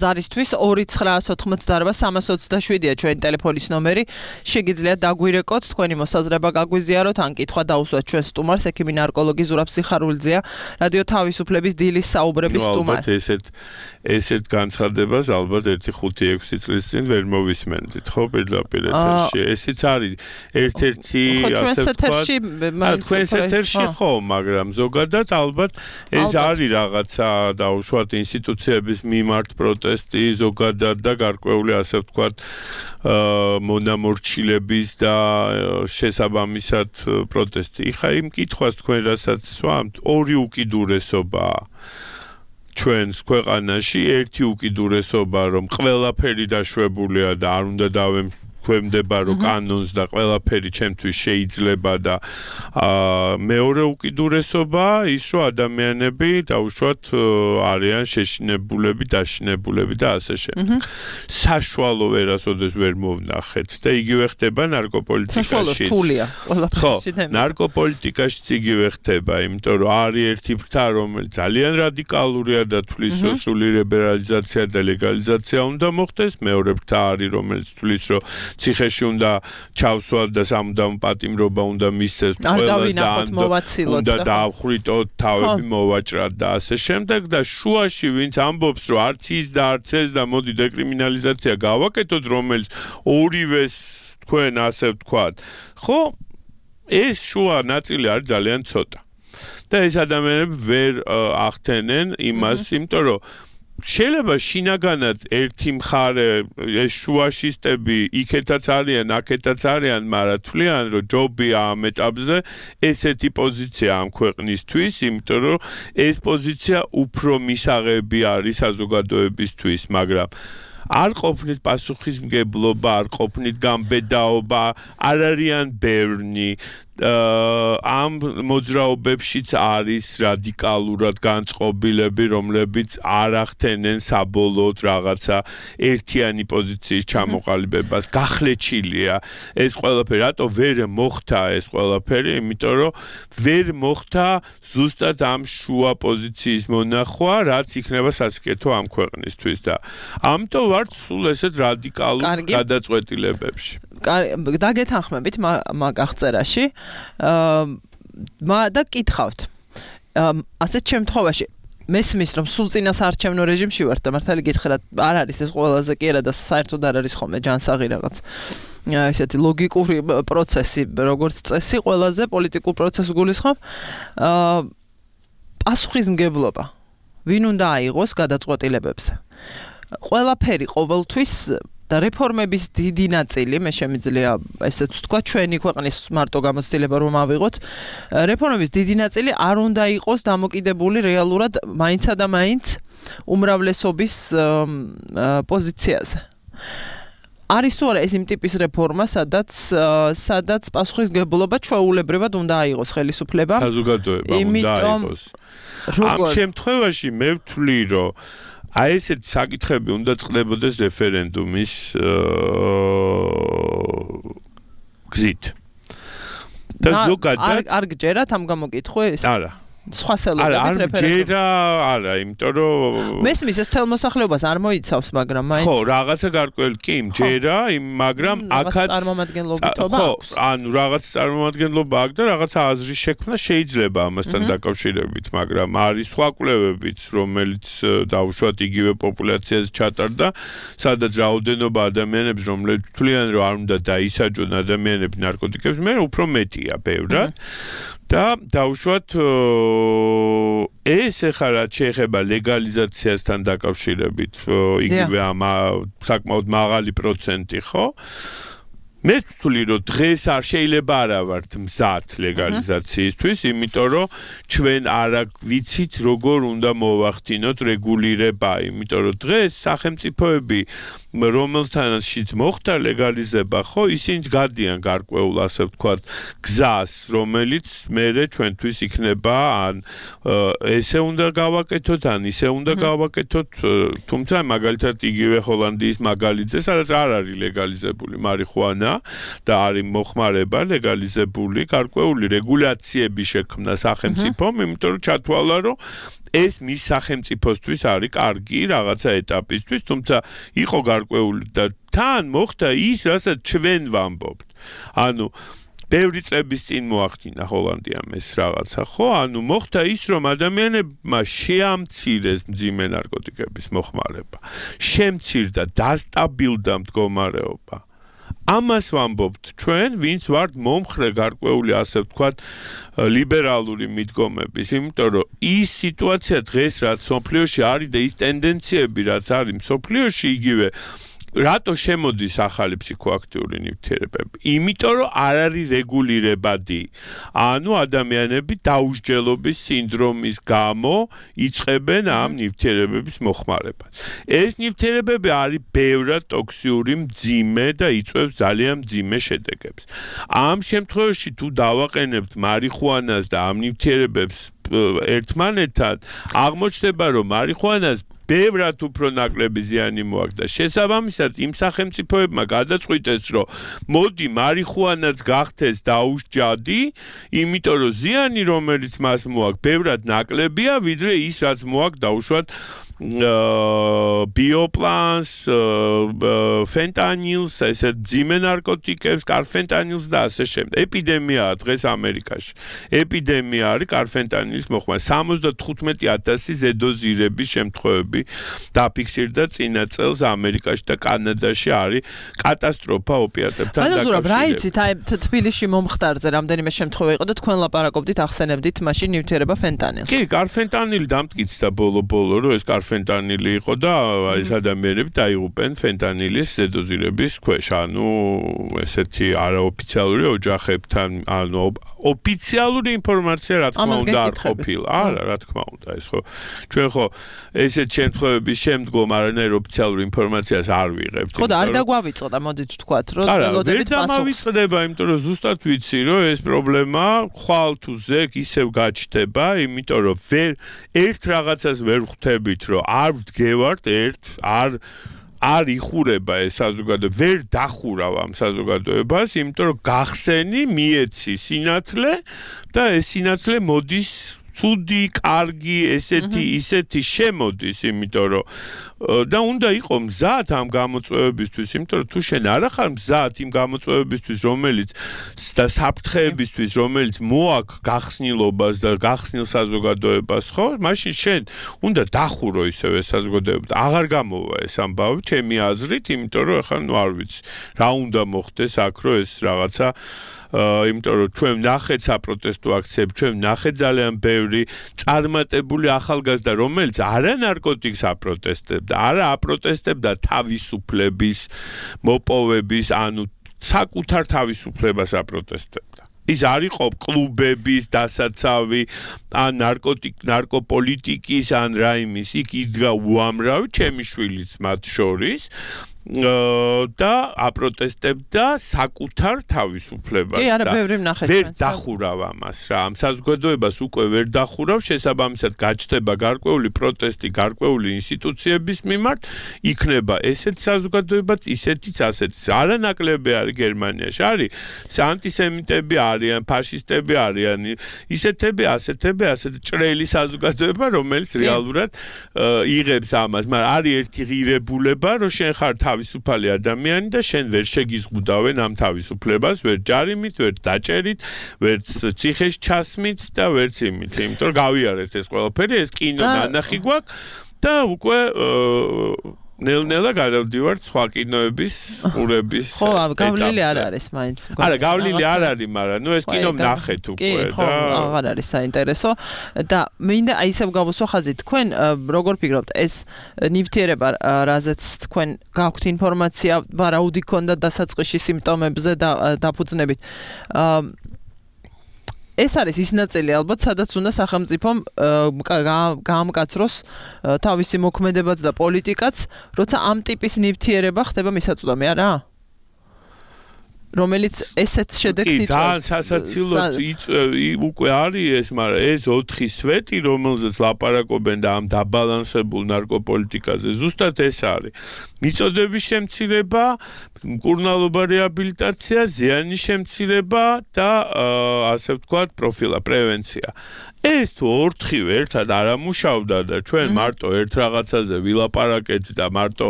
ზარისთვის ორი ცხრაას ოთხმოცდაარბა სამას ოცდაშვიდია ჩვენი ტელეფონის ნომერი. შეგიძლიათ დაგვირეკოთ თქვენი მოსაზრება გაგვიზიაროთ ან კითხვა დაუსვათ ჩვენ სტუმარს ექიმი ნარკოლოგი ზურაბ სიხარულიძეა რადიო თავისუფლების დილის საუბრების სტუმარი. ალბათ ესეთ ესეთ განცხადებას ალბათ ერთი ხუთი ექვსი წლის წინ ვერ მოვისმენდით ხო პირდაპირ ეთერში. ესეც არის ერთ-ერთი ასე ვთქვათ თქვენს ეთერში ხო მაგრამ ზოგადად ალბათ ეს არის რაღაცა დაუშვათ ინსტიტუციების მიმართ პროტესტი ზოგადად და გარკვეული ასე ვთქვათ მონამორჩილების და შესაბამისად პროტესტი. იხა იმ კითხვას თქვენ რასაც სვამთ ორი უკიდურესობაა ჩვენს ქვეყანაში ერთი უკიდურესობა რომ ყველაფერი დაშვებულია და არ უნდა დავემკვემდება რომ კანონს და ყველაფერი ჩემთვის შეიძლება და მეორე უკიდურესობა ის რომ ადამიანები დაუშვათ არიან შეშინებულები დაშინებულები და ასე შემდეგ. საშუალო ვერასოდეს ვერ მოვნახეთ და იგივე ხდება ნარკოპოლიტიკაში. ხო, ნარკოპოლიტიკაშიც იგივე ხდება, იმიტომ რომ არის ერთი ფრთა რომელიც ძალიან რადიკალურია და თulis რომ სრული ლიბერალიზაცია და ლეგალიზაცია უნდა მოხდეს, მეორე ფრთა არის რომელიც თulis რომ ციხეში უნდა ჩავსვათ და სამუდამო პატიმრობა უნდა მისცეს ყველას და დაახვრიტოთ თავები მოვაჭრათ და ასე შემდეგ და შუაში ვინც ამბობს რომ არც ის და არც ეს და მოდი დეკრიმინალიზაცია გავაკეთოთ რომელიც ორივეს თქვენ ასე ვთქვათ ხო ეს შუა ნაწილი არის ძალიან ცოტა და ეს ადამიანები ვერ ახდენენ იმას იმიტომ რომ შეიძლება შინაგანად ერთი მხარე ეს შუაშისტები იქეთაც არიან, აქეთაც არიან, მაგრამ თვლიან რომ ჯობია ამ ეტაპზე ესეთი პოზიცია ამ ქვეყნისთვის, იმიტომ რომ ეს პოზიცია უფრო მისაღები არის საზოგადოებისთვის, მაგრამ არ ყოფნით პასუხისმგებლობა, არ ყოფნით გამბედაობა, არ არიან ბევრნი ამ მოძრაობებშიც არის რადიკალურად განწყობილები, რომლებიც არ ახდენენ საბოლოოდ რაღაცა ერთიანი პოზიციის ჩამოყალიბებას. გახლეჩილია ეს ყველაფერი, რატო ვერ მოხდა ეს ყველაფერი? იმიტომ რომ ვერ მოხდა ზუსტად ამ შუა პოზიციის მონახვა, რაც იქნება სასიკეთო ამ ქვეყნისთვის და ამიტომ ვართ სულ ესეთ რადიკალურ გადაწყვეტილებებში. დაგეთანხმებით მაგ აღწერაში და კითხავთ ასეთ შემთხვევაში მესმის რომ სულ წინასაარჩევნო რეჟიმში ვართ და მართალი გითხრათ არ არის ეს ყველაზე კი არა და საერთოდ არ არის ხოლმე ჯანსაღი რაღაც ესეთი ლოგიკური პროცესი როგორც წესი ყველაზე პოლიტიკურ პროცესს გულისხმობ პასუხისმგებლობა ვინ უნდა აიღოს გადაწყვეტილებებზე ყველაფერი ყოველთვის და რეფორმების დიდი ნაწილი, მე შემიძლია ესეც ვთქვა, ჩვენი ქვეყნის მარტო გამოცდილება რომ ავიღოთ, რეფორმების დიდი ნაწილი არ უნდა იყოს დამოკიდებული რეალურად მაინცა და მაინც უმრავლესობის პოზიციაზე. არის თუ არა ეს იმ ტიპის რეფორმა, სადაც სადაც პასუხისმგებლობა ჩვეულებრივად უნდა აიღოს ხელისუფლება. საზოგადოება უნდა აიღოს. ამ შემთხვევაში მე ვთვლი, რომ აი ესეთ საკითხები უნდა წყდებოდეს რეფერენდუმის გზით. და ზოგადად არ გჯერათ ამ გამოკითხვის? არა. სხვა სელოდებით რეფერენდუმი. არა, არა, იმიტომ რომ მესმის ეს თელ მოსახლეობას არ მოიცავს, მაგრამ მაინც ხო, რაღაცა გარკვეული კი მჯერა, მაგრამ აქაც წარმომადგენლობითობა აქვს. ხო, ანუ რაღაც წარმომადგენლობა აქვს და რაღაცა აზრის შექმნა შეიძლება ამასთან დაკავშირებით, მაგრამ არის სხვა კვლევებიც, რომელიც დაუშვათ იგივე პოპულაციაზე ჩატარდა, სადაც რაოდენობა ადამიანებს, რომლებიც თვლიან, რომ არ უნდა დაისაჯონ ადამიანები ნარკოტიკებს, მე უფრო მეტია ბევრად. და დაუშვათ ეს ახლა რაც შეეხება ლეგალიზაციასთან დაკავშირებით იგივე ამ საკმაოდ მაღალი პროცენტი ხო მე ვთვლი რომ დღეს არ შეიძლება არა ვართ მზად ლეგალიზაციისთვის იმიტომ რომ ჩვენ არ ვიცით როგორ უნდა მოვახდინოთ რეგულირება იმიტომ რომ დღეს სახელმწიფოები რომელთანაც მოხდა ლეგალიზება, ხო, ისინი გადიან გარკვეულ, ასე ვთქვათ, გზას, რომელიც მერე ჩვენთვის იქნება ან ესე უნდა გავაკეთოთ, ან ისე უნდა გავაკეთოთ, თუმცა მაგალითად იგივე ჰოლანდიის მაგალითზე, სადაც არ არის ლეგალიზებული მარიხუანა და არის მოხმარება ლეგალიზებული, გარკვეული რეგულაციები შექმნა სახელმწიფომ, იმიტომ რომ ჩათვალა, რომ ეს მის სახელმწიფოსთვის არის კარგი რაღაცა ეტაპისთვის, თუმცა იყო გარკვეული და თან მოხდა ის, რასაც ჩვენ ვამბობთ. ანუ ბევრი წლების წინ მოახდინა ჰოლანდიამ ეს რაღაცა, ხო? ანუ მოხდა ის, რომ ადამიანებმა შეამცირეს მძიმე ნარკოტიკების მოხმარება. შემცირდა, დასტაბილდა მდგომარეობა. ამას ვამბობთ ჩვენ, ვინც ვართ მომხრე გარკვეული, ასე ვთქვათ, ლიბერალური მიდგომების, იმიტომ რომ ის სიტუაცია დღეს რაც სოფლიოში არის და ის ტენდენციები რაც არის სოფლიოში იგივე რატო შემოდის ახალი ფსიქოაქტიური ნივთიერებები? იმიტომ რომ არ არის რეგულირებადი. ანუ ადამიანები დაუსჯელობის სინდრომის გამო იწყებენ ამ ნივთიერებების მოხმარებას. ეს ნივთიერებები არის ბევრად ტოქსიური, მძიმე და იწვევს ძალიან მძიმე შედეგებს. ამ შემთხვევაში თუ დავაყენებთ მარიხუანას და ამ ნივთიერებებს ერთმანეთთან, აღმოჩნდება რომ მარიხუანას ბევრად უფრო ნაკლები ზიანი მოაქვს და შესაბამისად იმ სახელმწიფოებმა გადაწყვიტეს, რომ მოდი მარიხუანაც გახდეს დაუსჯადი, იმიტომ რომ ზიანი, რომელიც მას მოაქვს, ბევრად ნაკლებია, ვიდრე ის, რაც მოაქვს დაუშვათ ბიოპლანს, ფენტანილს, ესე ძიმე ნარკოტიკებს, კარფენტანილს და ასე შემდეგ. ეპიდემიაა დღეს ამერიკაში. ეპიდემია არის კარფენტანილის მოხმარება. სამოცდათხუთმეტი ათასი ზედოზირების შემთხვევები დაფიქსირდა წინა წელს ამერიკაში და კანადაში არის კატასტროფა ოპიატებთან დაკავშირებით. ანუ რა იცით, აი თბილისში მომხდარზე რამდენიმე შემთხვევა იყო და თქვენ ლაპარაკობდით, ახსენებდით მაშინ ნივთიერება ფენტანილს. კი, კარფენტანილი დამტკიცდა ბოლო-ბოლო, რომ ეს ფენტანილი იყო და ეს ადამიანები დაიღუპენ ფენტანილის ზედოზირების ქვეშ. ანუ ესეთი არაოფიციალური ოჯახებთან, ანუ ოფიციალური ინფორმაცია რა თქმა უნდა არ ყოფილა. არა, რა თქმა უნდა, ეს ხო ჩვენ ხო ესეთ შემთხვევების შემდგომ არანაირ ოფიციალურ ინფორმაციას არ ვიღებთ. ხო და არ დაგვავიწყდა, მოდით ვთქვათ, რომ ველოდებით პასუხს. არა, ვერ დამავიწყდება, იმიტომ რომ ზუსტად ვიცი, რომ ეს პრობლემა ხვალ თუ ზეგ ისევ გაჩნდება, იმიტომ რომ ვერ ერთ რაღაცას ვერ ხვდებით, რომ არ ვდგევართ ერთ, არ არ იხურება ეს საზოგადოება, ვერ დახურავ ამ საზოგადოებას, იმიტომ რომ გახსენი, მიეცი სინათლე და ეს სინათლე მოდის ცუდი, კარგი, ესეთი, ისეთი შემოდის, იმიტომ რომ და უნდა იყო მზად ამ გამოწვევებისთვის, იმიტომ რომ თუ შენ არ ახარ მზად იმ გამოწვევებისთვის, რომელიც და საფრთხეებისთვის, რომელიც მოაქვს გახსნილობას და გახსნილ საზოგადოებას, ხო? მაშინ შენ უნდა დახურო ისევე საზოგადოება. აღარ გამოვა ეს ამბავი, ჩემი აზრით, იმიტომ რომ ახლა ნუ არ ვიცი, რა უნდა მოხდეს აქ, რომ ეს რაღაცა იმიტომ რომ ჩვენ ნახეთ საპროტესტო აქციები, ჩვენ ნახეთ ძალიან ბევრი წარმატებული ახალგაზრდა, რომელიც არა ნარკოტიკს აპროტესტებდა, არა აპროტესტებდა თავისუფლების მოპოვების, ანუ საკუთარ თავისუფლებას აპროტესტებდა. ის არ იყო კლუბების დასაცავი, ან ნარკოტიკ, ნარკოპოლიტიკის, ან რაიმის, იქ იდგა უამრავი, ჩემი შვილიც მათ შორის. და აპროტესტებდა საკუთარ თავისუფლებას. კი, არა, ბევრი ვნახეთ. ვერ დახურავ ამას რა. ამ საზოგადოებას უკვე ვერ დახურავ, შესაბამისად გაჩნდება გარკვეული პროტესტი გარკვეული ინსტიტუციების მიმართ, იქნება ესეთი საზოგადოებაც, ისეთიც, ასეთიც. არანაკლები არის გერმანიაში. არის ანტისემიტები არიან, ფაშისტები არიან, ისეთები, ასეთები, ასეთი ჭრელი საზოგადოება, რომელიც რეალურად იღებს ამას. მაგრამ არის ერთი ღირებულება, რომ შენ ხარ თავისუფალი ადამიანი და შენ ვერ შეგიზღუდავენ ამ თავისუფლებას, ვერ ჯარიმით, ვერ დაჭერით, ვერ ციხეში ჩასმით და ვერც იმით, იმიტომ რომ გავიარეთ ეს ყველაფერი, ეს კინო ნანახი გვაქვს და უკვე ნელ-ნელა გადავდივართ სხვა კინოების, ყურების. ხო, გავლილი არ არის მაინც. არა, გავლილი არ არის, მაგრამ ნუ ეს კინო ვნახეთ უკვე და ხო, აღარ არის საინტერესო და მინდა აი ისევ გავუსვა ხაზი, თქვენ როგორ ფიქრობთ, ეს ნივთიერება, რაზეც თქვენ გაქვთ ინფორმაცია, ვარაუდი ქონდა დასაწყისში სიმპტომებზე და დაფუძნებით. ეს არის ის ნაწილი ალბათ, სადაც უნდა სახელმწიფომ გაამკაცროს თავისი მოქმედებაც და პოლიტიკაც, როცა ამ ტიპის ნივთიერება ხდება მისაწვდომი, არა? რომელიც ესეც შედეგს იწვევს. ძალიან სასაცილოდ უკვე არის ეს, მაგრამ ეს ოთხი სვეტი, რომელზეც ლაპარაკობენ და ამ დაბალანსებულ ნარკოპოლიტიკაზე, ზუსტად ეს არის. მიწოდების შემცირება, მკურნალობა რეაბილიტაცია, ზიანის შემცირება და ასე ვთქვათ, პროფილა, პრევენცია. ეს თუ ოთხივე ერთად არ ამუშავდა და ჩვენ მარტო ერთ რაღაცაზე ვილაპარაკეთ და მარტო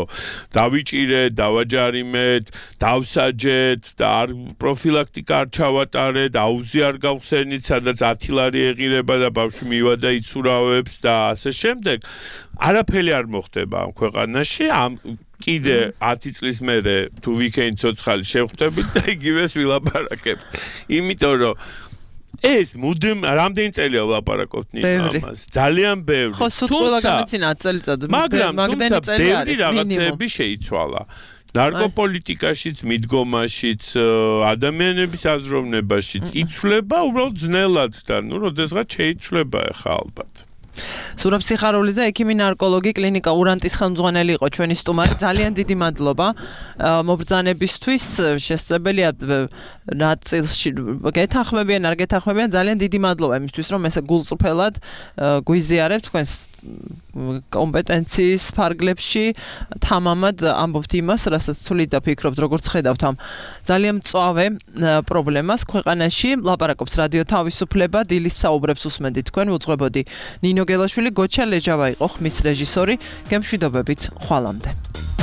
დავიჭირეთ, დავაჯარიმეთ, დავსაჯეთ და არ პროფილაქტიკა არ ჩავატარეთ, აუზი არ გავხსენით, სადაც ათი ლარი ეღირება და ბავშვი მივა და იცურავებს და ასე შემდეგ. არაფერი არ მოხდება ამ ქვეყანაში, ამ კიდე ათი წლის მერე თუ ვიქენით ცოცხალი შევხვდებით და იგივეს ვილაპარაკებთ. იმიტომ რომ ეს მუდმივ რამდენი წელია ვლაპარაკობთ ამას? ძალიან ბევრი. ხო, სულ ყველგან მეცინა წელიწადი. მაგრამ თუმცა ბევრი რაღაცები შეიცვალა. ნარკოპოლიტიკაშიც, მიდგომაშიც, ადამიანების აზროვნებაშიც იცვლება უბრალოდ ძნელად და ნუ როდესღაც შეიცვლება ახლა ალბათ. სურაბ სიხარულიძე, ექიმი ნარკოლოგი, კლინიკა ურანტის ხელმძღვანელი იყო ჩვენი სტუმარი. ძალიან დიდი მადლობა მობრძანებისთვის. შესაძლებელია ნაწილში გეთანხმებიან, არ გეთანხმებიან. ძალიან დიდი მადლობა იმისთვის, რომ ესე გულწრფელად გვიზიარებთ თქვენს კომპეტენციის ფარგლებში, თამამად ამბობთ იმას, რასაც თვლით და ფიქრობთ, როგორც ხედავთ ამ ძალიან მწვავე პრობლემას ქვეყანაში. ლაპარაკობს რადიო თავისუფლება, დილის საუბრებს უსმენთ თქვენ, უძღვებოდი ნინო გელაშვილი, გოჩა ლეჯავა იყო ხმის რეჟისორი. გემშვიდობებით, ხვალამდე.